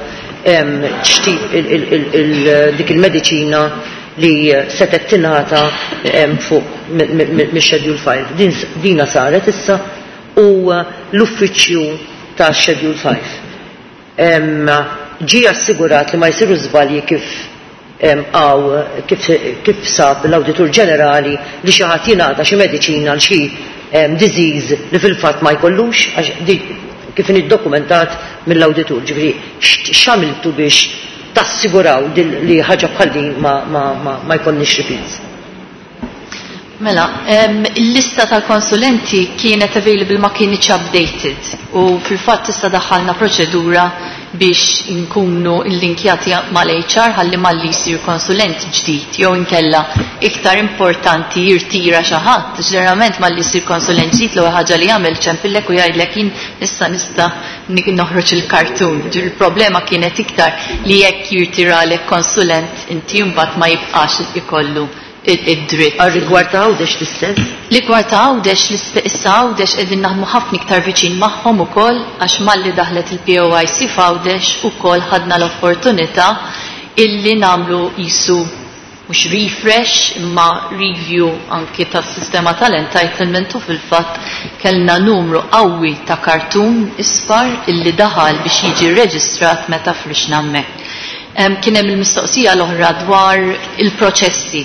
em, x'tip il-, il-, il-, il-, dik il-mediċina li setgħet tingħata, em, fuq mi-, mi-, mi-, mix-Schedule five. Din s-, dina saret issa u l-uffiċċju ta' Schedule five. Em, ġie assigurat li ma jsiru żbalji kif għaw kif, kif sab l-Awditur Ġenerali li xi ħadd jingħata xi mediċina għal xi, em, disease li fil-fatt ma jkollux, għax di kif inhi ddokumentat mill-Awditur. Ġifieri x-, x'għamiltu biex tassiguraw dil-, li ħaġa bħal din ma, ma, ma, ma jkollniex repeats? Mela, em, il-lista tal-konsulenti kienet available ma kienx updated u fil-fatt issa daħħalna proċedura biex nkunu illinkjati mal-H R ħalli malli jsir konsulent ġdid jew inkella iktar importanti jirtira xi ħadd. Ġeneralment malli jsir konsulent ġdid l-ewwel ħaġa li jagħmel ċempillek u jgħidlek jien issa nista' noħroġ il-kartun. Il-problema kienet iktar li jekk jirtiralek konsulent inti mbagħad ma jibqax ikollu id-dritt. Għal-rigward ta' Għawdex l-istess? Rigward ta' Għawdex issa Għawdex qegħdin naħdmu ħafna iktar viċin magħhom ukoll għax malli daħlet il-P O I C f'Għawdex ukoll ħadna l-opportunità illi nagħmlu qisu mhux refresh imma review anki tas-sistema tal-entitlement u fil-fatt kellna numru qawwi ta' kartun isfar illi daħal biex jiġi rreġistrat meta frixna hemmhekk. Kien hemm il-mistoqsija l-oħra dwar il-proċessi.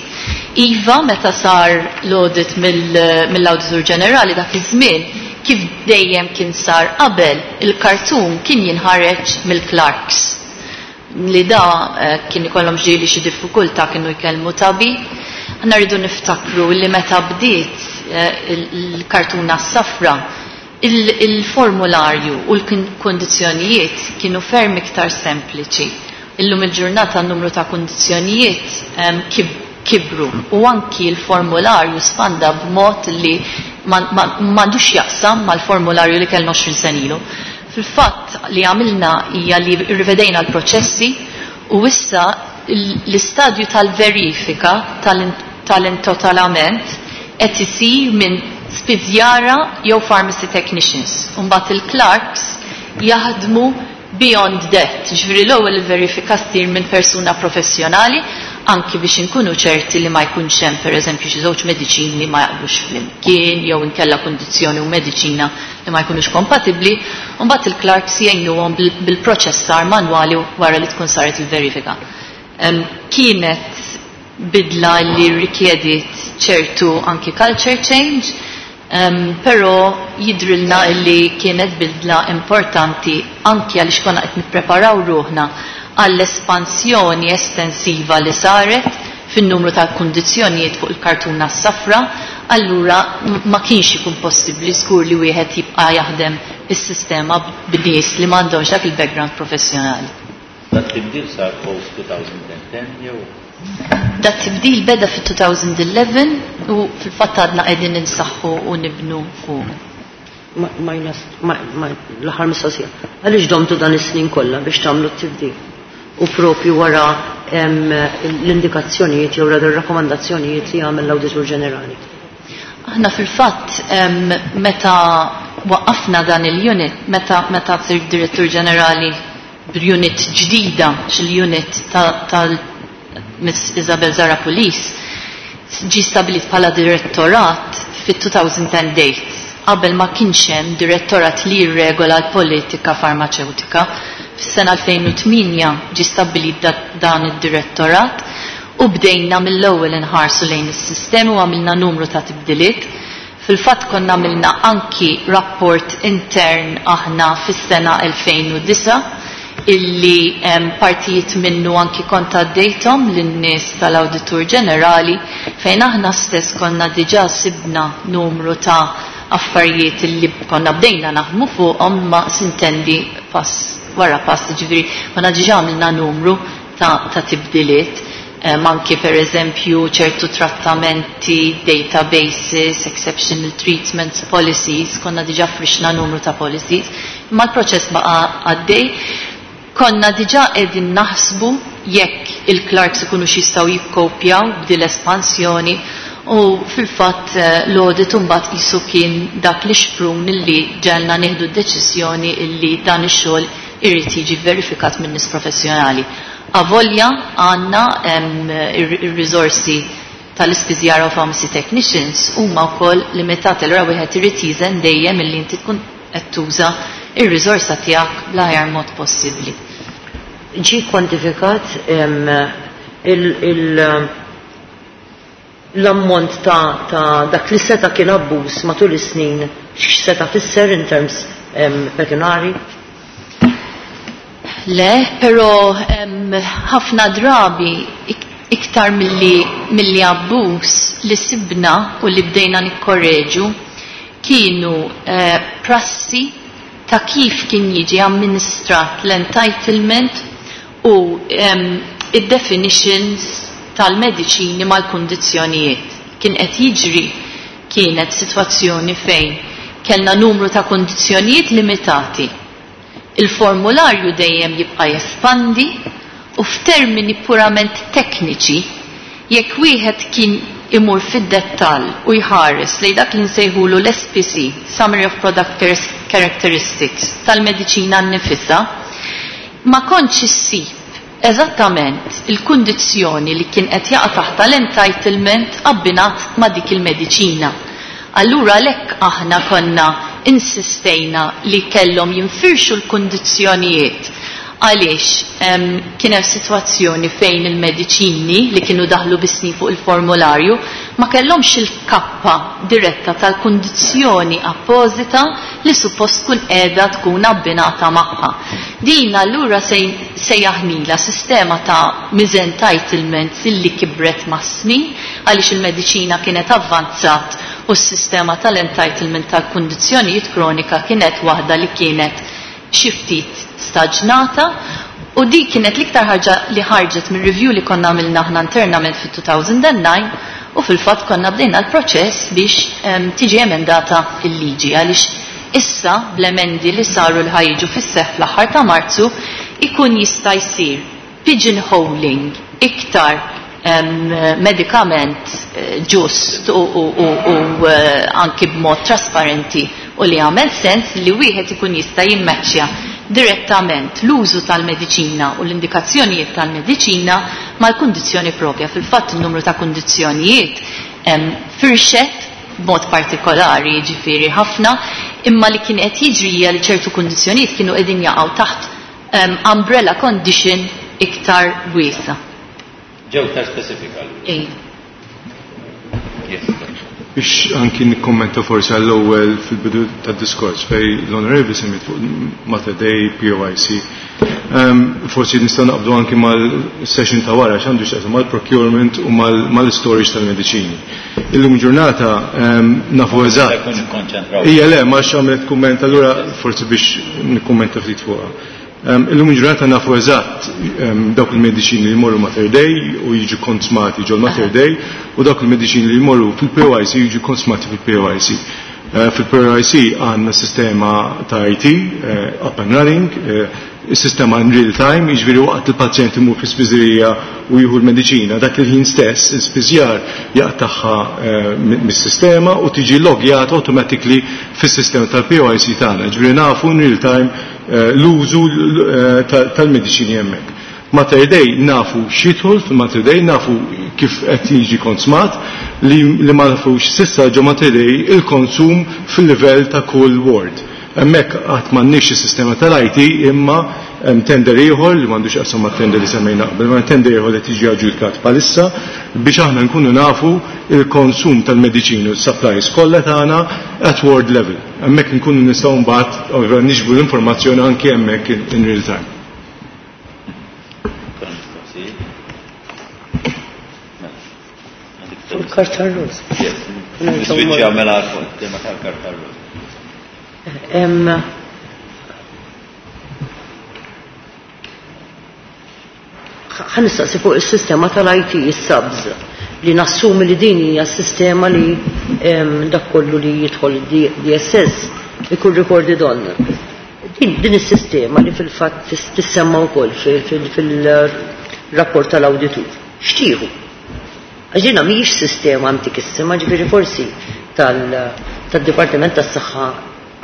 Iva, meta sar l-audit mill-Awditur Ġenerali dak iż-żmien, kif dejjem kien sar qabel, il-kartun kien jinħareġ mill-clerks. Li da kien ikollhom ġieli xi diffikultà kienu jkellmu tabib. Aħna rridu niftakru li meta bdiet il-kartuna s-safra, il-formularju u l-kondizzjonijiet kienu ferm iktar sempliċi. Illum il-ġurnata n-numru ta' kondizzjonijiet kibru u anki l-formularju spanda b'mod li m'għandux jaqsam mal-formularju li kellna għoxrin sena ilu. Fil-fatt li għamilna hija li rrivedejna l-proċessi u issa l-istadju tal-verifika tal-intotalament qed isir minn spiżjara jew pharmacy technicians. Imbagħad il-clerks jaħdmu beyond that, ġifieri l-ewwel il-verifika ssir minn persuna professjonali anki biex inkunu ċerti li ma jkunx hemm pereżempju xi żewġ mediċini li ma jaqblux flimkien jew inkella kundizzjoni u mediċina li ma jkunux kompatibbli, u mbagħad il-clerks jgħinuhom bil-proċessar manwali wara li tkun saret il-verifika. Kienet bidla li rikjediet ċertu anki culture change, Um, però jidrilna illi kienet bidla importanti anki għaliex konna qed nippreparaw ruħna għall-espansjoni estensiva li saret fin-numru ta' kundizzjonijiet fuq il-kartuna s-safra, allura ma kienx ikun possibbli żgur li wieħed jibqa' jaħdem is-sistema b'nies li m'għandhomx dak il-background professjonali. Dat tibdil sar post twenty ten jew? Dat tibdil beda fi twenty eleven u fil-fatt għadna qegħdin insaħħu u nibnu fuq. Ma l-aħħar mistoqsija. Għaliex domtu dan is-snin kollha biex tagħmlu t-tibdil? U propju wara l-indikazzjonijiet jew ir-rakkomandazzjonijiet li għamel l-Awditur Ġenerali. Aħna fil-fatt meta waqqafna dan il-unit, meta meta sir Direttur Ġenerali b'unit ġdida, xil-unit tal Miss Isabel Zara Pulis, ġi stabilit bħala direttorat fit-two thousand eight. Qabel ma kienx hemm direttorat li jirregola l-politika farmaceutika. Fis-sena elfejn u tmienja ġi stabilit dan id-direttorat u bdejna mill-ewwel inħarsu lejn is-sistemi u għamilna numru ta' tibdiliet. Fil-fatt konna għamilna anki rapport intern aħna fis-sena elfejn u disa' illi um, partijiet minnu anki kont għaddejthom lin-nies tal-Awditur Ġenerali fejn aħna stess konna diġà sibna numru ta' affarijiet illi konna bdejna naħdmu fuqhom ma sintendi pass wara pass, ġifieri konna diġà għamilna numru ta', ta' tibdiliet. Um, anki per eżempju ċertu trattamenti, databases, exceptional treatments, policies, konna diġà frixna numru ta' policies, imma l-proċess baqa' għaddej. Konna diġà qegħdin naħsbu jekk il-clerks ikunu x'jistgħu jikkopjaw b'dil espansjoni u fil-fatt l-audit imbagħad qisu kien dak li xprun illi ġelna nieħdu d-deċiżjoni illi dan ix-xogħol irid jiġi verifikat minn nies professjonali. Avolja għandna ir-riżorsi tal-ispiżjara u pharmacy technicians huma wkoll limitati, allura wieħed irid jiżen dejjem illi inti tkun qed tuża ir-riżorsa tiegħek bl-aħjar mod possibbli. Ġi kwantifikat l-ammont ta' dak li seta' kien abbuż matul is-snin x'seta' fisser in terms pecuniary? Le, però ħafna drabi iktar milli abbuż li sibna u li bdejna nikkorreġu kienu prassi ta' kif kien jiġi amministrat l-entitlement u um, id-definitions tal-mediċini mal-kundizzjonijiet. Kien qed jiġri kienet sitwazzjoni fejn kellna numru ta' kundizzjonijiet limitati. Il-formularju dejjem jibqa' jespandi u f'termini purament tekniċi jekk wieħed kien imur fid-dettall u jħares lejn dak li nsejħulu l-S P C, Summary of Product Characteristics, tal-mediċina nnifisha, ma kontx issib eżattament il-kundizzjoni li kien qed jaqa' taħt l-entitlement abbinat ma' dik il-mediċina. Allura lek aħna konna insistejna li kellhom jinfirxu l-kundizzjonijiet għaliex um, kien hemm sitwazzjoni fejn il-mediċini li kienu daħlu bis-snin fuq il-formularju ma kellhomx il-kappa diretta tal-kundizzjoni appożita li suppost tkun qiegħda tkun abbinata magħha. Din allura sejjaħnila sistema ta' misentitlements illi kibret mas-snin għaliex il-mediċina kienet avvanzat u s-sistema tal-entitlement tal-kundizzjonijiet kronika kienet waħda li kienet xi ftit staġnata u di kienet l-iktar ħaġa li ħarġet mir review li konna għamilna aħna internament fit-elfejn u disa u fil-fatt konna bdejna l-proċess biex um, tiġi emendata il-liġi għaliex issa bl-emendi li saru l ħa jiġu fis-seħħ fl-aħħar ta' Marzu ikun jista' jsir pigeonholing iktar um, medikament ġust u, u, u, u uh, anki b'mod trasparenti u li għamel sens li wieħed ikun jista' jimmeċċja direttament l-użu tal-mediċina u l-indikazzjonijiet tal-mediċina mal-kundizzjoni propja. Fil-fatt il-numru ta' kundizzjonijiet firxet b'mod partikolari, ġifieri ħafna, imma li kien qed jiġri hija li ċertu kundizzjonijiet kienu qegħdin jaqgħu taħt um, umbrella condition iktar wiesa. Ġew iktar specifika. Ej. Yes. Biex anki nikkommenta forsi għall-ewwel fil-bidu tad-diskors fejn l-Onorevoli semmit fuq Mater Dei, P O I C. Um, forsi nistgħu naqbdu anki mal-session ta' wara x'għandu x'jaqsam mal-procurement u mal-storage tal-mediċini. Illum ġurnata um, nafu eżatt. Ija le, ma x'għamlet kumment allura forsi biex nikkummenta ftit fuqha. Um, illum ġurnata nafu eżatt um, dawk il-mediċini li jmorru Mater Dei u jiġu konsmati ġol Mater Dei u dawk il-mediċini li jmorru fil-P O I C jiġu konsmati fil-P O I C. Uh, Fil-P O I C għandna sistema ta' I T uh, up and running, uh, sistema in real time, jiġifieri waqt il-pazjent imur fi spiżerija u jieħu l-mediċina, dak il-ħin stess, il-spiżjar jaqtagħha uh, mis-sistema u tiġi logjat automatically fis-sistema tal-P O I C tagħna. Jiġifieri nafu in real time uh, l-użu uh, tal-mediċini hemmhekk. Mater Dei nafu x'jidħol fil-Mater Dei, nafu kif qed jiġi konsmat, li, li ma nafux s'issa ġo Mater Dei il-konsum fil-livell ta' kull ward. Hemmhekk qatt m'għandniex is-sistema tal-I T imma hemm tender ieħor li m'għandux qasam mat-tender li semmejna qabel, ma tender ieħor li tiġi aġġudikat bħalissa biex aħna nkunu nafu il-konsum tal-mediċini u s-supplies kollha tagħna at ward level. Hemmhekk nkunu nistgħu mbagħad niġbru l-informazzjoni anke hemmhekk in, in real time. Il-karta roż. Niswiċċja mela tema tal-karta roż. Em, ħa nistaqsi fuq is-sistema tal-I T, is-SABS, li nassumi li din hija s-sistema li em, dak kollu li jidħol D S S ikun recorded on. Din, din is-sistema li fil-fatt tissemma wkoll fil-rapport tal-awditur. X'tieħu? Għax dina mhijiex sistema antikissima, ġifieri forsi tal-Dipartiment tas-Saħħa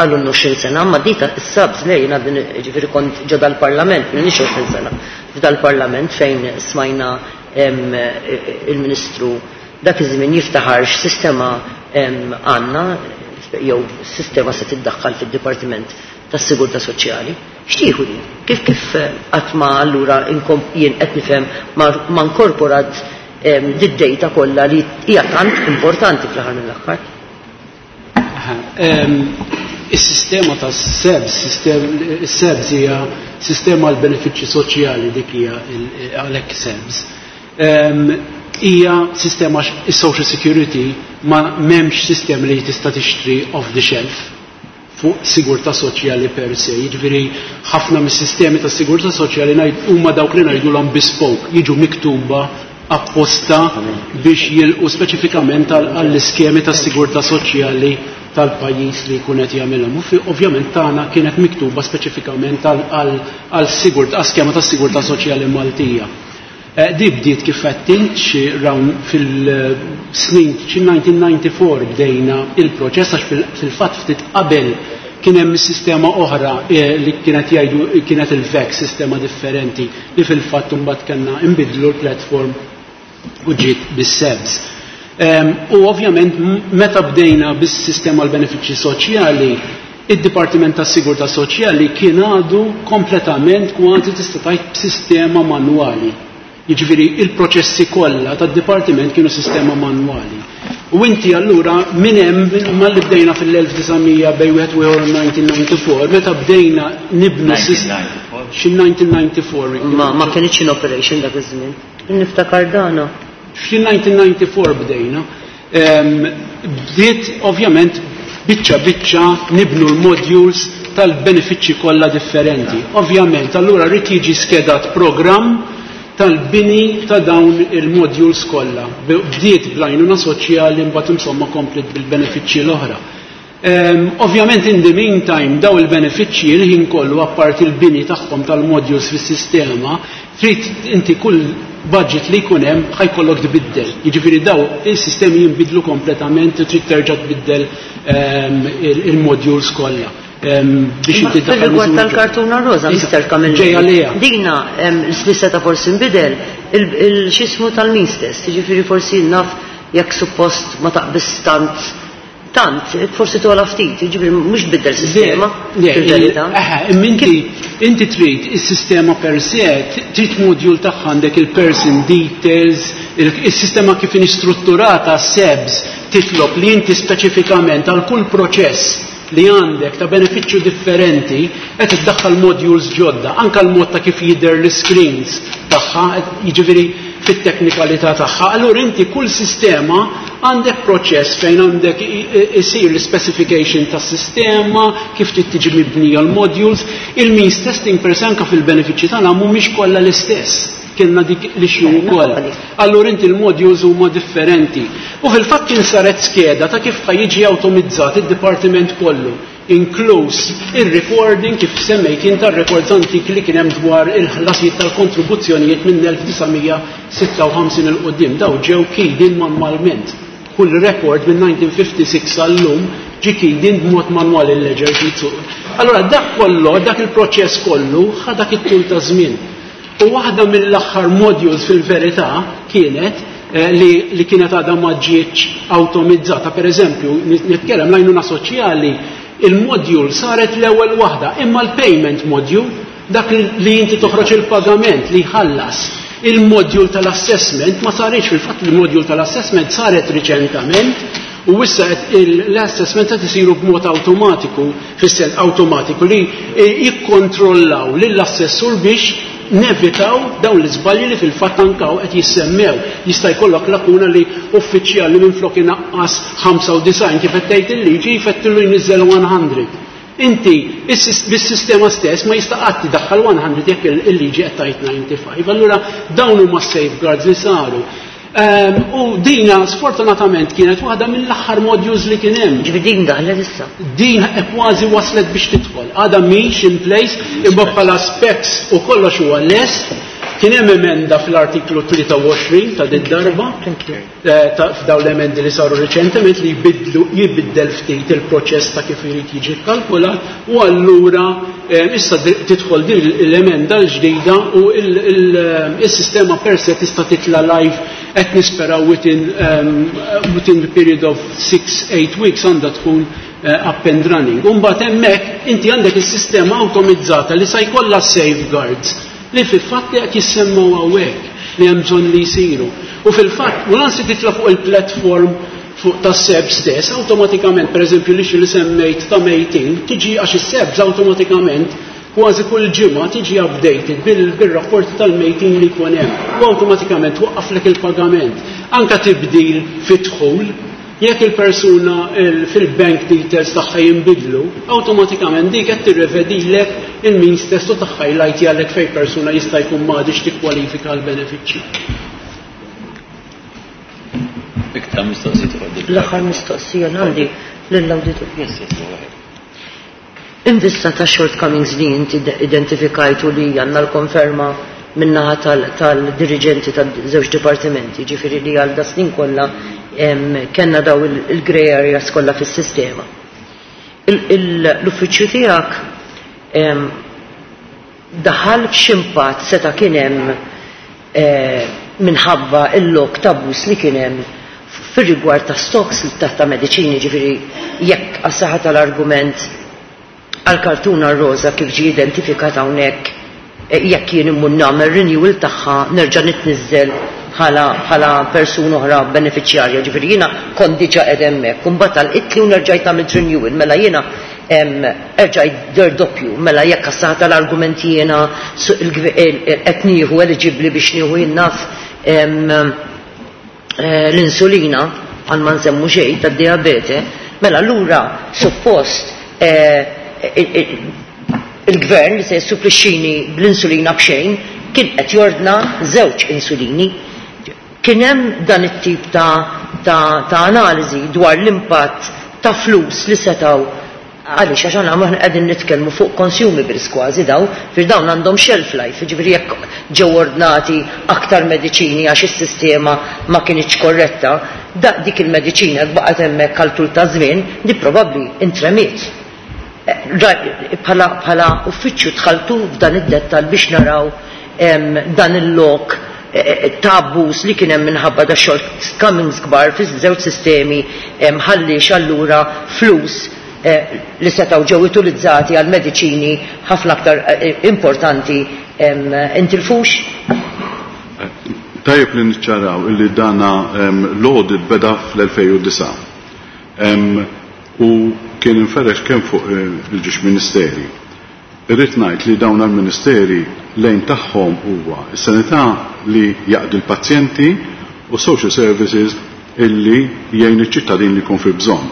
għallu għoxrin sena, ma di ta' s-SABS le jiena din ġifieri kont ġo dal-parlament, minix għoxrin sena, f'dal-parlament fejn smajna em, il-ministru dak iż-żmien jiftaħar x'sistema għandna jew sistema se tiddaħħal fid-Dipartiment tas-Sigurtà Soċjali. X'tieħu din? Kif kif qatt ma allura jien qed nifhem ma inkorporat did-data kollha li hija tant importanti fl-aħħar mill-aħħar? Is-sistema ta' SEBS, SEBS hija sistema għal benefiċċji soċjali, dik hija għalhekk SEBS. Hija sistema is-social security, ma m'hemmx sistema li tista' tixtri off the shelf. fuq sigurtà soċjali per se. Jiġifieri ħafna mis-sistemi ta' sigurtà soċjali huma dawk li ngħidulhom bespoke, jiġu miktuba apposta biex jilqu speċifikament għall-iskemi ta' sigurtà soċjali tal-pajjiż li jkun qed jagħmilhom. U ovvjament tagħna kienet miktuba speċifikament għal skema ta' sigurtà soċjali Maltija. Di bdiet kif qed int xi round fil-snin xi nineteen ninety-four bdejna il-proċess, għax fil-fatt ftit qabel kien hemm sistema oħra li kienet jgħidu kienet il-V E C, sistema differenti li fil-fatt imbagħad kellna nbidlu l-platform u ġiet bis-SEBS. U ovvjament meta bdejna bis-sistema l-benefiċċji soċjali, id-Dipartiment tas-Sigurtà Soċjali kien għadu kompletament kważi tista' tgħid b'sistema manwali. Jiġifieri il-proċessi kollha tad-dipartiment kienu sistema manwali. U inti allura minn hemm malli bdejna fil-elf disa' mija bejn wieħed u ieħor nineteen ninety-four, meta bdejna nibnu xi nineteen ninety-four. Ma, ma kienx in operation dak iż-żmien. Niftakar dana. Xi nineteen ninety-four bdejna. Bdiet ovvjament biċċa biċċa nibnu l-modules tal-benefiċċji kollha differenti. Ovvjament allura rrid jiġi skedat programm tal-bini ta' dawn il-modules kollha. Bdiet bl-għajnuna soċjali, mbagħad insomma komplet bil-benefiċċji l-oħra. Ehm, ovvjament in the meantime daw il-benefiċċji il-ħin kollu apparti il-bini tagħhom tal-modules fis-sistema, trid inti kull budget li jkun hemm ħajkollok tbiddel. Jiġifieri daw il-sistemi jinbidlu kompletament, trid terġa' tbiddel, ehm, il-modules kollha. Ehm, biex inti Fil-rigward miżuri tal-kartuna rosa, Mister Camilleri. Ġejja lejha. Dina, ehm, l-sissa forsi nbidel il-xismu tal-means test, jiġifieri forsi naf jekk suppost ma taqbis tant tant, forsi tola ftit, jiġifieri mhux tbiddel sistema Le, fil-verità. Eħe, imma inti, inti trid is-sistema per se, trid module tagħha għandek il-person details, il-sistema kif inhi strutturata SEBS titlob li inti speċifikament għal kull proċess li għandek ta' benefiċċju differenti qed iddaħħal modules ġodda, anke l-mod ta' kif jidher l-screens tagħha, jiġifieri fit-teknikalità tagħha. Allura inti kull sistema għandek proċess fejn għandek isir l-specification tas-sistema, kif trid tiġi mibnija l-modules, il-means testing per se anke fil-benefiċċji tagħna mhumiex kollha l-istess. Kienna dik l-issue wkoll. Allura inti l-modules huma differenti. U fil-fatt kien saret skeda ta' kif jiġi awtomizzat id-dipartiment kollu, inkluż il-recording kif semmejt jien tar-records antiki li kien hemm dwar il-ħlasijiet tal-kontribuzzjonijiet minn elf disa' mija sitta u ħamsin il quddiem. Daw ġew keyed in manwalment. Kull record minn nineteen fifty-six għall-lum ġie keyed in b'mod manwali l-ledger sheets. Allura dak kollu, dak il-proċess kollu ħa dak it-tul ta' żmien. U waħda mill-aħħar modules fil-verità kienet, eh, li, li kienet għadha ma ġietx awtomizzata. Per eżempju, nitkellem l-għajnuna soċjali, il-module saret l-ewwel waħda, imma l-payment module, dak li inti toħroġ il-pagament li jħallas, il-module tal-assessment ma saritx. Fil-fatt il-module tal-assessment saret riċentament u issa l-assessment qed isiru b'mod awtomatiku, fis-sens awtomatiku li jikkontrollaw lill-assessur biex nevitaw dawn l-iżbalji li fil-fatt ankaw qed jissemmew. Jista' jkollok lakuna li uffiċjali li minflok inaqqas ħamsa u disgħin kif qed tgħid il-liġi jfettillu jniżżel one hundred. Inti bis-sistema stess ma jista' qatt idaħħal one hundred jekk il-liġi qed tgħid ninety-five. Allura dawn huma safeguards li saru. Ehm, u dina sfortunatament kienet waħda mill-aħħar modules li kien hemm. Ġifieri din daħlet issa. Din kważi waslet biex tidħol. Għadha mhix in place, imma bħala specs u kollox huwa lest. Kien hemm emenda fl-artiklu tlieta u għoxrin ta' din darba, eh, f'dawn l-emendi li saru riċentement li jbidlu, jibiddel ftit il-proċess ta' kif irid jiġi kkalkulat, u allura, eh, issa tidħol din l-emenda l-ġdida u il-sistema per se tista' titla' live, qed nisperaw within, um, within the period of six, eight weeks għandha tkun, eh, up and running. Umbagħad hemmhekk inti għandek is-sistema awtomizzata li sa jkollha safeguards li fil-fatt li qed jissemmaw hawnhekk li hemm bżonn li jsiru. U fil-fatt, u lansi titla' fuq il-platform fuq tas-SEB stess, awtomatikament, per eżempju, li xi li semmejt ta' mejtin, tiġi għax is-SEBS awtomatikament kważi kull ġimgħa tiġi updated bil-rapporti tal-mejtin li jkun hemm. U awtomatikament waqqaflek il-pagament. Anka tibdil fid-dħul, Jekk il-persuna fil-bank details tagħha jinbidlu, awtomatikament dik qed tirrevedilek il-means test u tagħha għalek fejn persuna jista' jkun m'għadix tikkwalifika għall-benefiċċji. Iktar mistoqsijiet fuq L-aħħar mistoqsija għandi lill-awditur. Yes, yes, go ahead. In vista ta' shortcomings li inti identifikajtu li għandna l-konferma min-naħa tal-dirigenti tal-żewġ dipartimenti, ġifieri li għal das-snin kollha kellna daw il-grey areas kollha fis-sistema. L-uffiċċju tiegħek daħal f'x'impatt seta' kien hemm eh, minħabba il-lok t'abbuż li kien hemm fir-rigward ta' stocks ta' ta' mediċini, ġifieri jekk għas-saħħa tal-argument għal-kartuna rosa kif ġi identifikat hawnhekk eh, jekk jien immur nagħmel renewal tagħha nerġa' nitniżżel bħala bħala persuna oħra beneficjarja, ġifieri jiena kont diġà qed hemmhekk, u mbagħad għalqitli u nerġajt nagħmel renewal, mela jiena erġajt der doppju, mela jekk għas-saħħa tal-argument jiena qed nieħu eligibbli biex nieħu jien naf eh, l-insulina għal ma nsemmu xejn tad-diabete, mela allura suppost eh, il-gvern li se jissuplixxini bl-insulina b'xejn kien qed jordna żewġ insulini. Kien hemm dan it-tip ta', ta, ta analiżi dwar l-impatt ta' flus li setgħu għaliex għax aħna aħna qegħdin nitkellmu fuq consumables kważi daw, fir dawn għandhom shelf life, jiġifieri jekk ġew ordnati aktar mediċini għax is-sistema ma kinitx korretta, da dik il-mediċina baqgħet hemmhekk għal tul ta' żmien, di probabbli intremiet. Bħala uffiċċju dħaltu f'dan id-dettal biex naraw dan il-lok ta' abbuż li kien hemm minħabba da shortcomings kbar fiż-żewġ sistemi ħallix allura flus li setgħu ġew utilizzati għal mediċini ħafna aktar importanti intilfux? Tajjeb li niċċaraw illi dana l-audit beda fl-elfejn u disgħa u kien inferex kemm fuq il-ġiex ministeri. Irrid ngħid li dawn għall-ministeri lejn tagħhom huwa s-sanità li jaqdi l-pazjenti u social services illi jgħin iċ-ċittadin li jkun fi bżonn.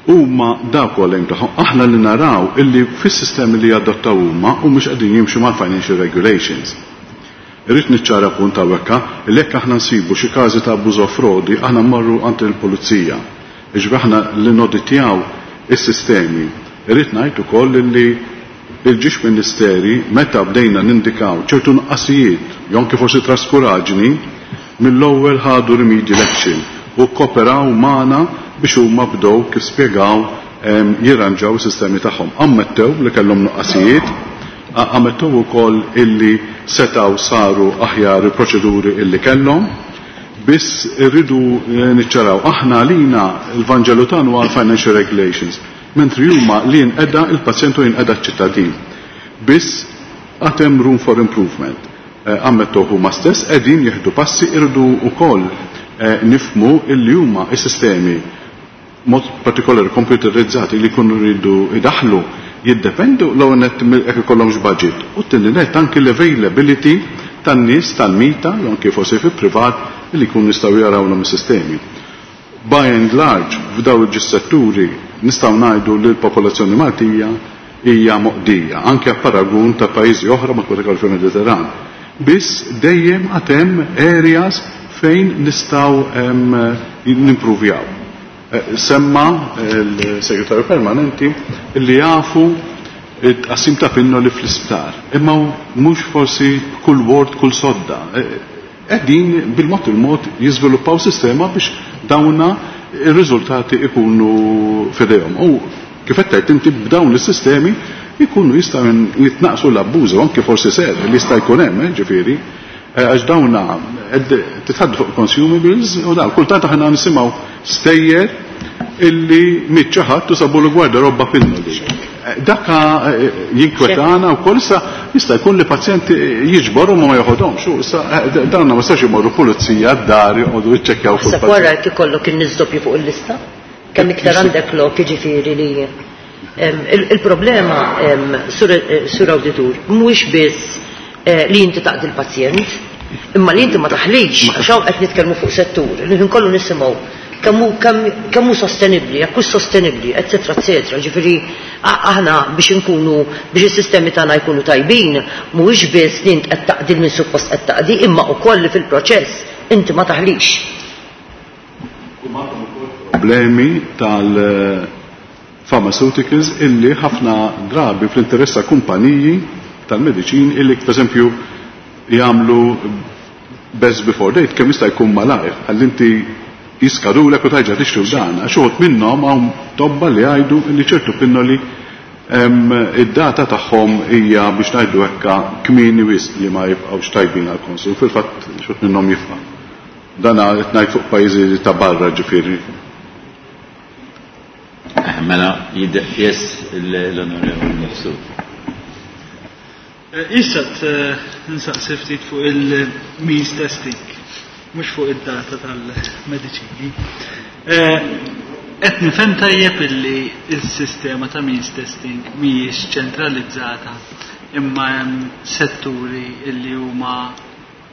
Huma dawk huwa lejn tagħhom, aħna li naraw illi fis-sistemi li jadottaw huma u mhux qegħdin jimxu mal-financial regulations. Irrid niċċara punt hawnhekk li jekk aħna nsibu xi każi ta' abbuż u frodi, aħna mmorru għand il-pulizija. Jiġifieri aħna li noditjaw is-sistemi. Irrid ngħid ukoll li il-ġiex ministeri meta bdejna nindikaw ċertu nuqqasijiet, jew anke forsi traskuraġni, mill-ewwel ħadu remedial action u kooperaw magħna biex huma bdew kif spjegaw jirranġaw is-sistemi tagħhom. Ammettew li kellhom nuqqasijiet, ammettew ukoll illi setgħu saru aħjar il-proċeduri illi kellhom, biss irridu niċċaraw aħna għalina il-Vanġelu tagħna huwa financial regulations, mentri huma li jinqeda il-pazjent u jinqeda ċ-ċittadin. Biss għad hemm room for improvement. Ammettew huma stess qegħdin jieħdu passi, irridu wkoll nifhmu illi huma s-sistemi mod partikolari computerizzati li jkunu rridu idaħlu jiddependu l-ewwel nett jekk ikollhomx budget u t-tieni nett anki l-availability tan-nies tal-mita jew anke forsi fi privat li jkunu jistgħu jarawlhom is-sistemi. By and large f'daw il-ġis-setturi nistgħu ngħidu li l-popolazzjoni Maltija hija moqdija anke paragun ta' pajjiżi oħra mod partikolari fil-Mediterran. Biss dejjem għad hemm areas fejn nistgħu nimpruvjaw. Semma l-segretarju permanenti li jafu it-tqassim ta' pinnoli fl-isptar. Imma mhux forsi kull ward, kull sodda. Qegħdin bil-mod il-mod jiżviluppaw sistema biex dawna ir-riżultati ikunu f'idejhom. U kif qed tgħid inti b'dawn is-sistemi ikunu jistgħu jitnaqsu l-abbuż u anke forsi ser li jista' jkun hemm, ġifieri, għax dawna titħaddu fuq consumables u dawn kultant aħna nisimgħu stejjer illi miet xi ħadd u sabu l-gwardarobba pinnoli. Daka jinkwetana u koll issa jista' jkun li pazjenti jiġbor u ma joħodhomx. U issa dawna ma stax imorru pulizija d-dar joqogħdu jiċċekkjaw fuq. Issa wara jekk ikollok in-nies doppju fuq il-lista, kemm iktar għandek lok jiġifieri li il-problema sur awditur mhuwiex biss li inti taqdi l-pazjent, imma li inti ma taħlix, għax hawn qed nitkellmu fuq settur, li ħin kollu nisimgħu Kemm hu kemm hu sostenibbli, jekk hux sostenibbli, eċetera, eċetera. Ġifieri aħna biex inkunu biex is-sistemi tagħna jkunu tajbin, mhuwiex biss li int qed taqdi minn suppost qed taqdi, imma wkoll li fil-proċess inti ma taħlix. Problemi tal pharmaceuticals illi ħafna drabi fl-interess ta' kumpaniji tal-mediċin illi per esempio jagħmlu best before date kemm jista' jkun malajr għall inti jiskadulek u tajġa tixtru dan għax uħud minnhom hawn tobba li jgħidu li ċertu pinnoli id-data tagħhom hija biex ngħidu hekka kmieni wisq li ma jibqgħux tajbin għall-konsum, fil-fatt xut minnhom jifqa'. Dan qed ngħid fuq pajjiżi ta' barra ġifieri. Mela, yes, l-Onorevoli Mifsud. Issa nsaqsi ftit fuq il-means testing, mhux fuq id-data tal-mediċini. Qed nifhem tajjeb illi s-sistema ta' means testing mhijiex ċentralizzata imma hemm setturi illi huma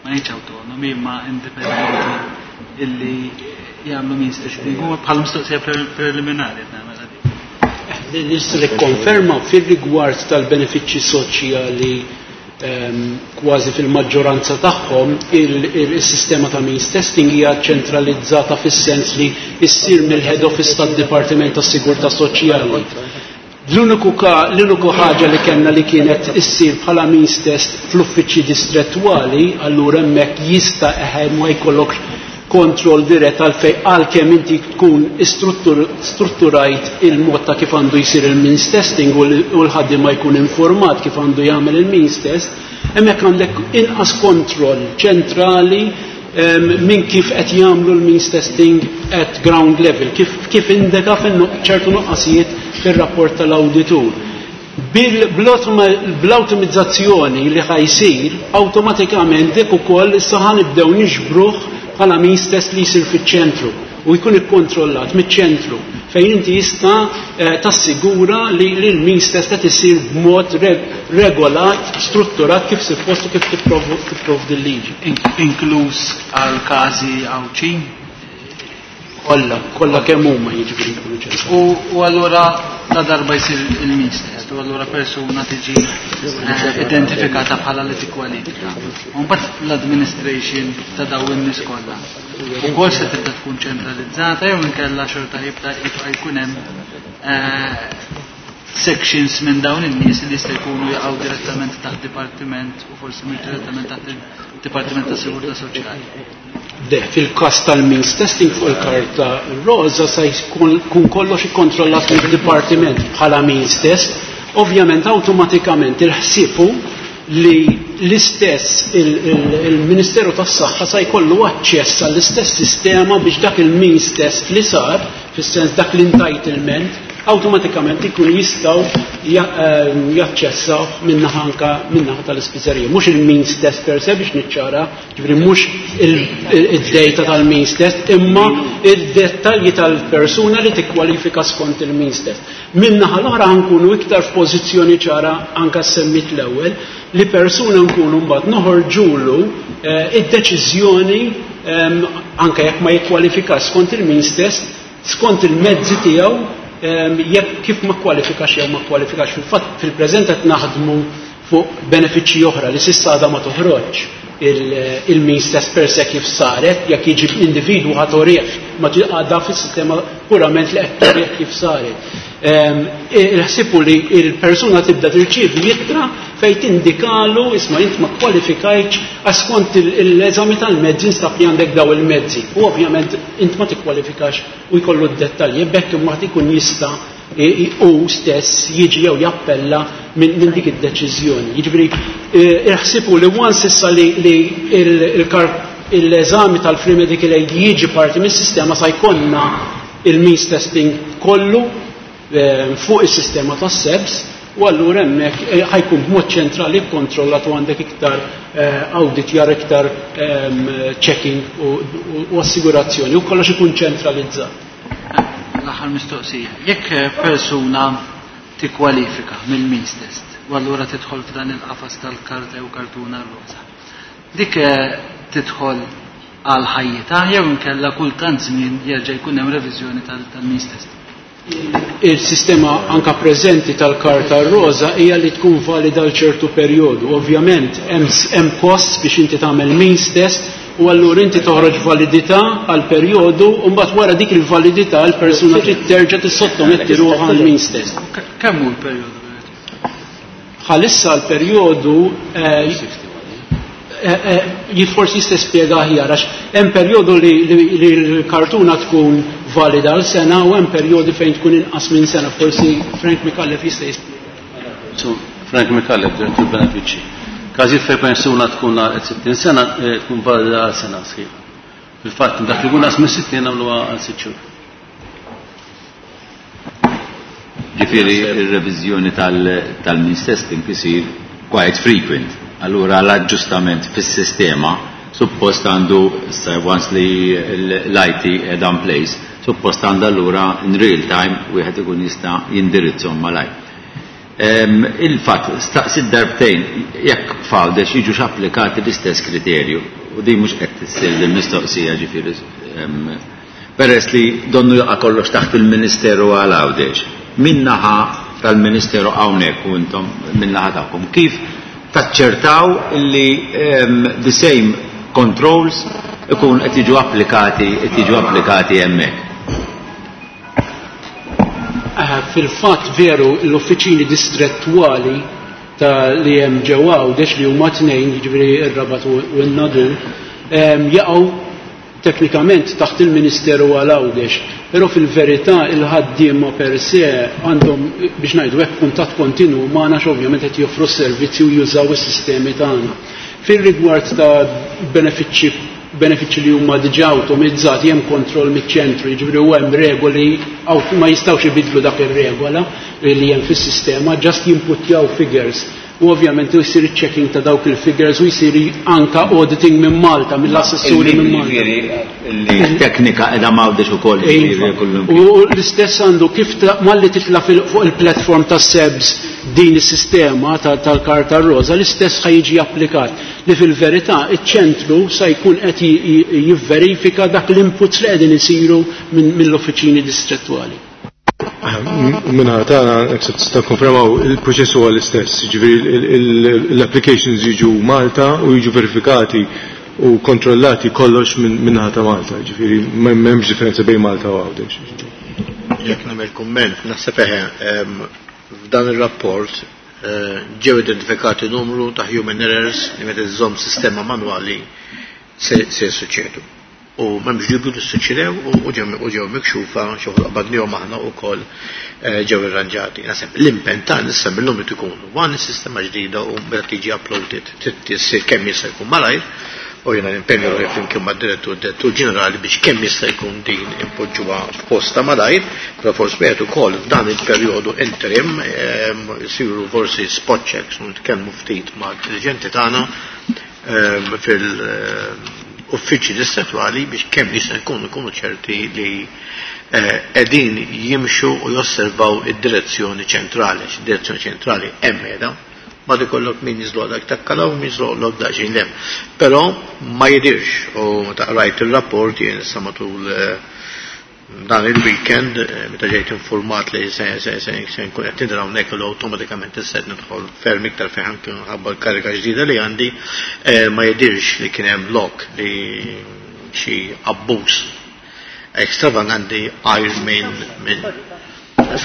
ma ngħidx autonomi imma indipendenti illi jagħmlu means testing. Huma bħal mistoqsija preliminari qed nagħmel dik. Nista' nikkonferma fir-rigward tal-benefiċċji soċjali kważi fil-maġġoranza tagħhom il-sistema ta' means testing hija ċentralizzata fis-sens li ssir mill-head office tad-Dipartiment tas-Sigurtà Soċjali. L-uniku l-uniku ħaġa li kellna li kienet issir bħala means test fl-uffiċċji distrettwali, allura hemmhekk jista' eħe ma jkollok kontroll dirett għalfej għalkemm inti tkun strutturajt il-mod ta' kif għandu jsir il-means testing u l-ħaddiem ma jkun informat kif għandu jagħmel il-means test, hemmhekk għandek inqas kontroll ċentrali minn kif qed jagħmlu l-means testing at ground level, kif, kif indika ċertu nuqqasijiet fir-rapport tal-awditur. Bl-awtomizzazzjoni li ħa jsir, awtomatikament dik ukoll issa ħa nibdew niġbruh bħala means test li jsir fiċ-ċentru u jkun ikkontrollat miċ-ċentru fejn inti jista' tassigura li l-means test qed isir b'mod regolat, strutturat kif suppost u kif tipprovdi l-liġi. Inkluż għal każi Għawdxin? Kollha, kollha kemm huma jiġifieri jkunu ċentru. U allura la darba jsir il-means test, u allura persuna tiġi identifikata bħala li tikkwalifika. U mbagħad l-administration ta' dawn in-nies kollha. Ukoll se tibda tkun ċentralizzata jew inkella xorta jibda jibqa' jkun hemm sections minn dawn in-nies li jista' jkunu jaqgħu direttament taħt dipartiment u forsi mhux direttament taħt il-Dipartiment ta' Sigurtà Soċjali. De, fil-kas tal-means testing fuq il-karta rosa se jkun kollox ikkontrollat mid-dipartiment bħala means test, ovvjament awtomatikament il-ħsibu li l-istess il-Ministeru tas-Saħħa se jkollu aċċess għall-istess sistema biex dak il-means test li sar, fis-sens dak l-entitlement, awtomatikament ikun jistgħu jaċċessaw minnaħa anka minnaħa tal-ispiżerija. Mhux il-means test per se biex niċċara, ġifieri mhux id-data tal-means test, imma id-dettalji tal-persuna li tikkwalifika skont il-means test. Minnaħa l-oħra nkunu iktar f'pożizzjoni ċara anka semmit l-ewwel li persuna nkunu mbagħad noħorġulu id-deċiżjoni anke jekk ma jikkwalifikax skont il-means test, skont il-mezzi tiegħu jekk kif ma kwalifikax jew ma kwalifikax. Fil-fatt fil-preżent qed naħdmu fuq benefiċċji oħra li s'issa għadha ma toħroġ il-means test per se kif saret, jekk jiġi individwu ħa torih ma għadha fis-sistema purament li qed torih kif saret. Il-ħsibu li il-persuna tibda tirċievi ittra fejn tindikalu isma' int ma kwalifikajtx għax skont l-eżami tal-mezzi nstab li għandek daw il-mezzi. U ovvjament int ma tikkwalifikax u jkollu d-dettalji, bekk imbagħad ikun jista' u stess jiġi jew jappella minn dik id-deċiżjoni. Jiġifieri il-ħsibu li once issa li l-eżami tal-free medical aid jiġi parti mis-sistema sa jkollna il-means testing kollu fuq is-sistema tas-SEBS u allura hemmhekk ħa jkun b'mod ċentrali kkontrollat u għandek iktar auditjar, iktar checking u assigurazzjoni u kollox ikun ċentralizzat. L-aħħar mistoqsija. Jekk persuna tikkwalifika mill-means test u allura tidħol f'dan il-qafas tal-karta jew kartuna rosa. Dik tidħol għal ħajjitha jew inkella kull tant żmien jerġa' jkun hemm reviżjoni tal-means testing. Il-sistema anka preżenti tal-karta roża hija li tkun valida għal ċertu perjodu. Ovvjament hemm kost biex inti tagħmel means test u allura inti toħroġ validità għal perjodu u mbagħad wara dik il-validità l-persuna trid terġa' tissottometti ruħha għal means test. Kemm hu l-perjodu? Bħalissa l-perjodu forsi jista' spjega aħjar għax hemm perjodu li l-kartuna tkun valida għal sena u hemm perjodi fejn tkun inqas minn sena. Forsi Frank Micallef jista' jispjega. Frank Micallef, direttur benefiċċji. Każijiet fejn persuna tkun għal sittin sena tkun valida għal sena sħiħa. Fil-fatt dak li jkun inqas minn sittin nagħmluha għal sitt xhur. Ġifieri ir-reviżjoni tal-means testing isir quite frequent. Allura l-aġġustament fis-sistema suppost għandu, once li l-I T qiegħda in place, suppost għandu allura in real time wieħed ikun jista' jindirizzhom malajr. Il-fatt, staqsi darbtejn jekk f'Għawdex jiġux applikati l-istess kriterju, u din mhux qed tissir l-mistoqsija ġifieri, peress li donnu jaqa' kollox taħt il-Ministeru għal Għawdex. Min-naħa tal-Ministeru hawnhekk u intom min-naħa tagħkom, kif taċċertaw li the same controls ikun qed jiġu applikati, qed jiġu applikati hemmhekk? Fil-fatt veru l-uffiċini distrettwali ta' li hemm ġewwa Għawdex li huma tnejn, jiġifieri r-Rabat u n-Nadur, jaqgħu teknikament taħt il-Ministeru għal Għawdex, però fil-verità il-ħaddiema per se għandhom biex ngħidu hekk kuntatt kontinu magħna ovvjament qed joffru s-servizzi u jużaw is-sistemi tagħna. Fir-rigward ta' benefiċċji benefiċċji li huma diġà awtomizzati hemm kontroll miċ-ċentru, jiġifieri u hemm regoli ma jistgħux ibidlu dak ir-regola li hemm fis-sistema, just jinputjaw figures. U ovvjament jsir checking ta' dawk il-figures u jsir anka auditing minn Malta, mill-assessuri minn Malta. Li teknika qiegħda m'Għawdex ukoll, jiġifieri kullum. U l-istess għandu kif malli titla' fuq il-platform ta' S E B S din is-sistema tal-karta roża, l-istess ħa jiġi applikat. Li fil-verità iċ-ċentru sa jkun qed jivverifika dak l-inputs li qegħdin isiru mill-uffiċini distrettwali. Minna tagħna tista' konfermaw il-proċess huwa l-istess, jiġifieri l-applications jiġu Malta u jiġu verifikati u kontrollati kollox minnaħa ta' Malta, jiġifieri m'hemmx differenza bejn Malta u Għawdex. Jekk nagħmel kumment, naħseb eħe, f'dan ir-rapport ġew identifikati numru ta' human errors li meta żżomm sistema manwali se jsuċċedu. U m'hemmx dubju li suċċedew u ġew mikxufa xi wħud qabadnihom aħna wkoll ġew irranġati. Naħseb l-impenn tagħna issa minnhom irid ikun one sistema ġdida u meta tiġi uploaded trid issir kemm jista' jkun malajr, u jiena nimpenju ruħi flimkien mad-direttur direttur ġenerali biex kemm jista' jkun din impoġġuha f'posta malajr, però forsi wieħed ukoll f'dan il-perjodu interim isiru forsi spot checks u nitkellmu ftit mad-diriġenti tagħna fil- uffiċċji distrettwali biex kemm jista' jkun ikunu ċerti li qegħdin jimxu u josservaw id-direzzjoni ċentrali, għax id-direzzjoni ċentrali hemm qiegħda, ma ikollok min jiżloqlok takkala u min jiżloqlok daqsxejn hemm. Però ma jidirx, u meta qrajt ir-rapport jien issa matul dan il-weekend meta ġejt informat li se se se se nkun qed nidra hawnhekk u awtomatikament issa qed nidħol ferm iktar fejn anke minħabba l-karika ġdida li għandi, ma jidirx li kien hemm lok li xi abbuż ekstravaganti għajr minn minn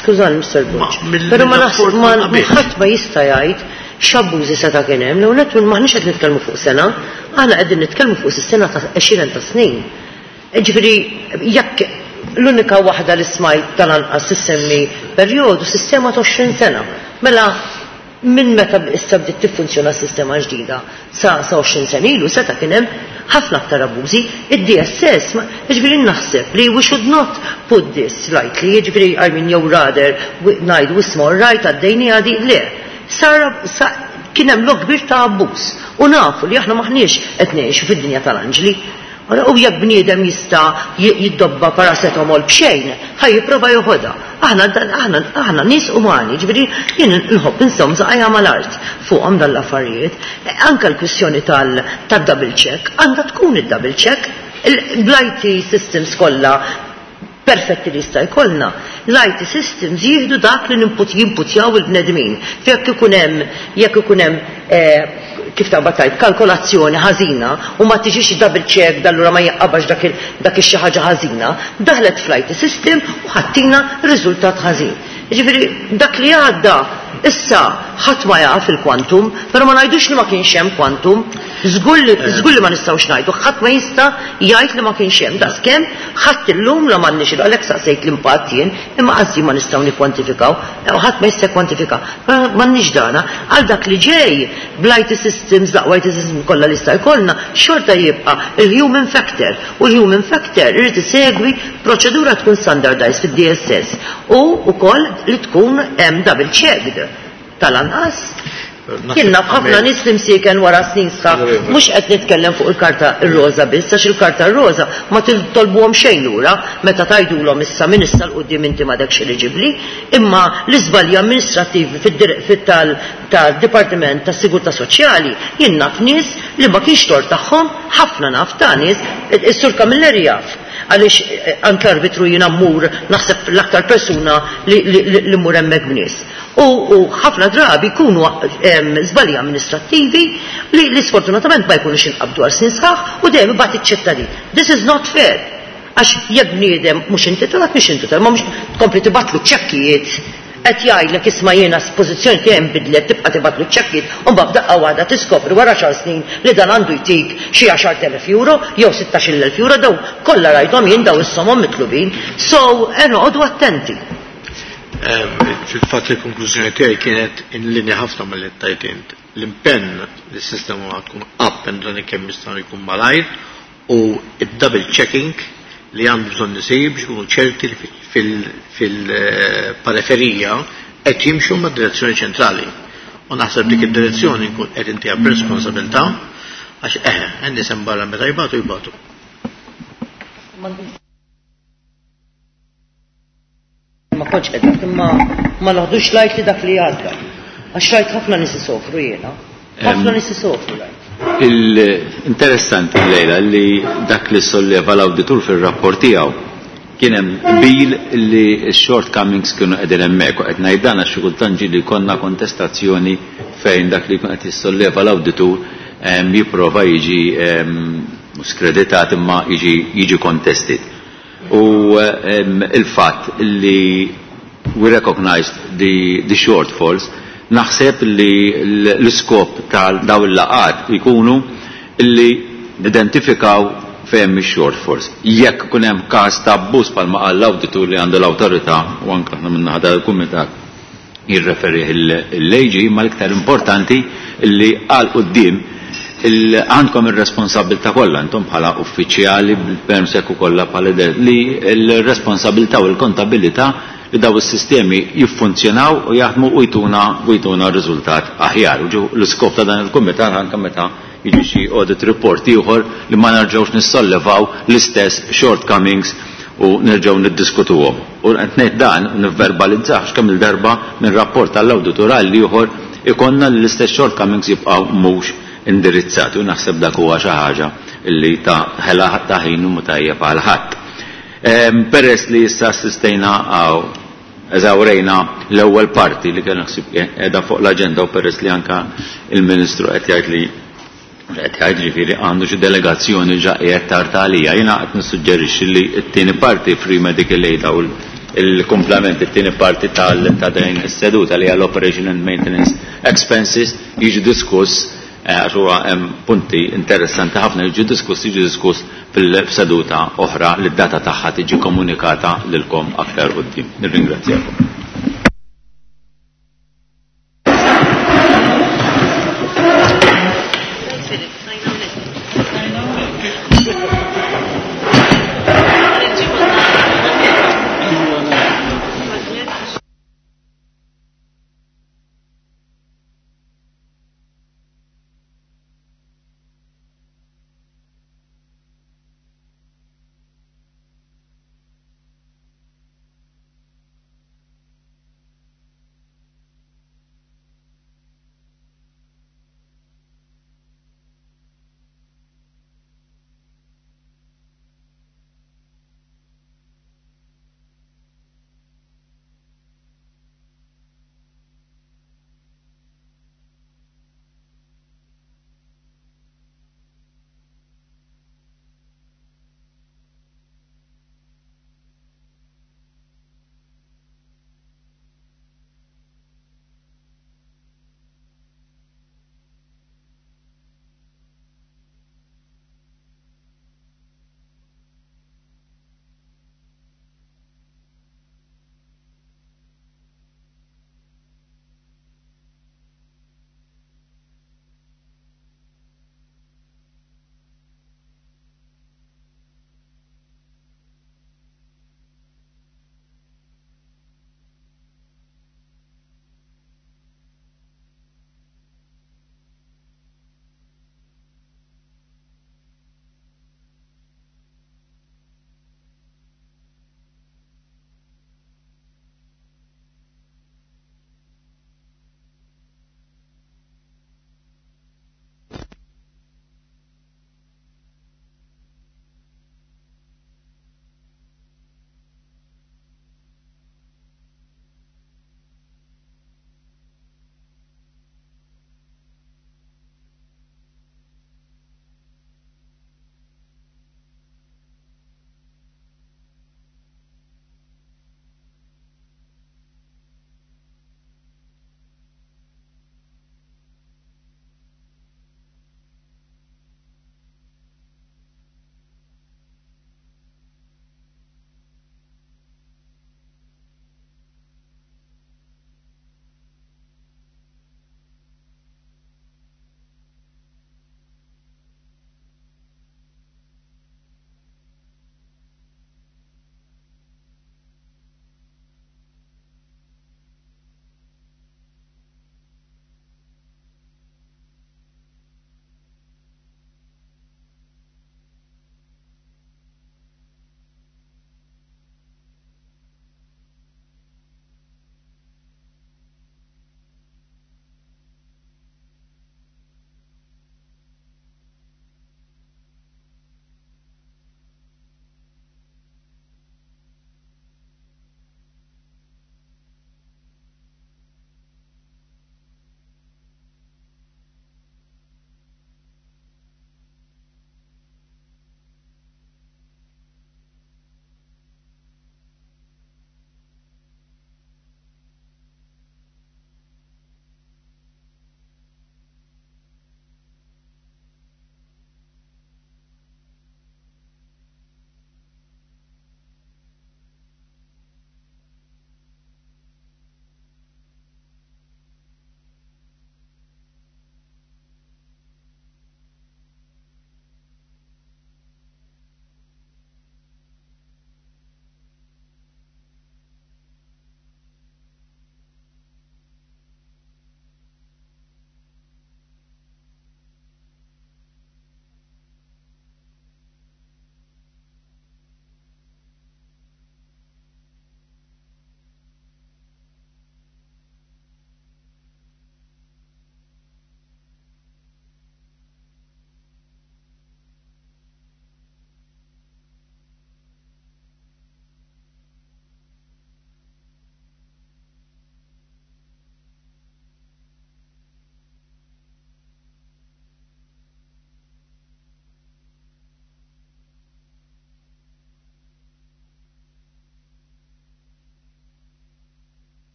Skużani, Mister Borg, però ma naħseb ma ħadd ma jista' jgħid x'abbużi seta' kien hemm, l-ewwel nett maħniex qed nitkellmu fuq sena, aħna qegħdin nitkellmu fuq sistema ta' għexieren ta' snin. Ġifieri jekk l-unika waħda li smajt tal-anqas issemmi perjodu sistema ta' għoxrin sena. Mela minn meta issa bdiet tiffunzjona s-sistema ġdida sa sa għoxrin sena ilu seta' kien hemm ħafna aktar abbużi. Id-D S S, jiġifieri naħseb li we should not put this lightly, jiġifieri I mean jew rather ngħidu isma' right għaddejni għadi le. Sar kien hemm lok kbir ta' abbuż u nafu li aħna maħniex qed ngħixu fid-dinja tal-anġli. U jekk bniedem jista' jiddobba paracetamol b'xejn, ħaj jipprova joħodha. Aħna aħna aħna nies umani, ġifieri jien nħobb insom saqajja mal-art fuqhom dan l-affarijiet. Anke l-kwistjoni tad-double check għandha tkun id-double check. Bl-I T systems kollha perfetti li jista' jkollna, l-I T systems jieħdu dak li ninput jinputjaw il-bnedmin. Jekk ikun hemm jekk ikun hemm eh, kif ta' batajt, kalkolazzjoni ħażina u ma tiġix double check, allura ma jaqabax dak il- dak ix-xi ħaġa ħażina, daħlet fl-I T system u ħa ttina riżultat ħażin. Ġifieri dak li għadda issa ħadd ma jaf il-kwantum, però ma ngħidux li ma kienx hemm kwantum. Żgur li żgur li ma nistgħux ngħidu, ħadd ma jista' jgħid li ma kienx hemm. Daqskemm ħadd illum la m'għandniex, għalhekk saqsejt l-impatt jien, imma qassi ma nistgħu nikkwantifikaw, ħadd ma jista' kwantifika. M'għandniex dana għal dak li ġej bl-I T systems, l-aqwa I T systems kollha li jista' jkollna, xorta jibqa' il-human factor. U l-human factor irid isegwi proċedura tkun standardized fid-D S S u wkoll li tkun hemm double checked tal-anqas. Jien naf ħafna nies li msieken wara snin sħaħ, mhux qed nitkellem fuq il-karta r-roża biss, għax il-karta r-roża ma tolbuhom xejn lura meta tgħidulhom issa minn issa 'l quddiem inti m'għadekx eliġibbli, imma l-iżbalji amministrativi fit-tal-Dipartiment tas-Sigurtà Soċjali, jien naf nies li ma kienx tort tagħhom, ħafna naf ta' nies, is-Sur Camilleri jaf għaliex eh, anke arbitru jiena mmur, naħseb l-aktar persuna li, li, li, li mmur hemmhekk b'nies. U, u ħafna drabi jkunu żbalji amministrattivi li, li sfortunatament ma jkunux inqabdu għal snin sħaħ u dejjem ibati ċ-ċittadin. This is not fair. Għax jekk bniedem mhux intitolat, mhux intitolat, ma mhux tkompli tibgħatlu ċekkijiet, qed jgħidlek, "Isma', jiena pożizzjoni tiegħi nbidlet," tibqa' tibgħatlu ċekkijiet u mbagħad f'daqqa waħda tiskopri wara xar snin li dan għandu jtik xi għaxart elef euro jew sittax-il elf euro. Daw kollha rajthom jien daw is-somom mitlubin. So, eh, noqogħdu attenti. Fil-fatt il-konklużjoni tiegħi kienet in linja ħafna mal-li tajt int. L-impenn li s-sistema tkun up and running kemm jista' jkun malajr u id-double checking li għandu bżonn isir biex ikunu ċerti li fil-periferija qed jimxu mad direzzjoni ċentrali. U naħseb dik id-direzzjoni nkun qed intiha b'responsabilità għax eħe, n-nies hemm barra meta jbatu jbatu. Ma kontx qed, imma ma naħdux lajt li dak li għadda. Għax rajt ħafna nies isofru jiena. Ħafna nies isofru rajt. Il-interessanti lejla li dak li solleva l-awditur fil-rapport tiegħu kien hemm qbil li x-shortcomings kienu qegħdin hemmhekk, u qed ngħid dan għax xi kultant ġieli jkollna kontestazzjoni fejn dak li jkun qed jissolleva l-awditur em, jipprova jiġi em, mhux skreditat imma jiġi jiġi contested. U em, il-fatt li we recognized the, the shortfalls, naħseb li l-iskop tal daw il-laqat ikunu li identifikaw fejn ix-shortfalls. Jekk kun hemm każ ta' abbuż bħalma qal l-awditur li għandu l-awtorità u anke aħna minn naħa tal-kumitat jirreferi l-liġi, imma l-iktar importanti li għal quddiem għandkom ir-responsabilità kollha intom bħala uffiċjali bil-permsek u kollha bħala li l-responsabilità u l-kontabilità li daw is-sistemi jiffunzjonaw u jaħdmu u jtuna u jtuna riżultat aħjar. U l-iskop ta' dan il-kumitat anke meta jiġi xi audit report ieħor li ma nerġgħux nissollevaw l-istess shortcomings u nerġgħu niddiskutuhom. U qed ngħid dan nivverbalizzah kemm il-darba minn rapport tal-awditur għal ieħor ikonna l-istess shortcomings jibqgħu mhux indirizzati, u naħseb dak huwa xi ħaġa li ta' ħela ta' ħin u tajjeb għal ħadd. Peress li issa assistejna għaw eżawrejna l-ewwel parti li kien naħseb qiegħda fuq l-aġenda, u peress li anka il-Ministru qed jgħid li qed jgħid, ġifieri għandu xi delegazzjoni ġa qiegħed tard għalija, jiena qed nissuġġerixxi li t-tieni parti, free medical aid u il-komplement, it-tieni parti tal ta' din is-seduta li hija l-operation and maintenance expenses, jiġi diskuss, għax huwa hemm punti interessanti ħafna, jiġi diskuss jiġi diskuss fil-seduta oħra li d-data tagħha tiġi komunikata lilkom aktar quddiem. Nirringrazzjakom.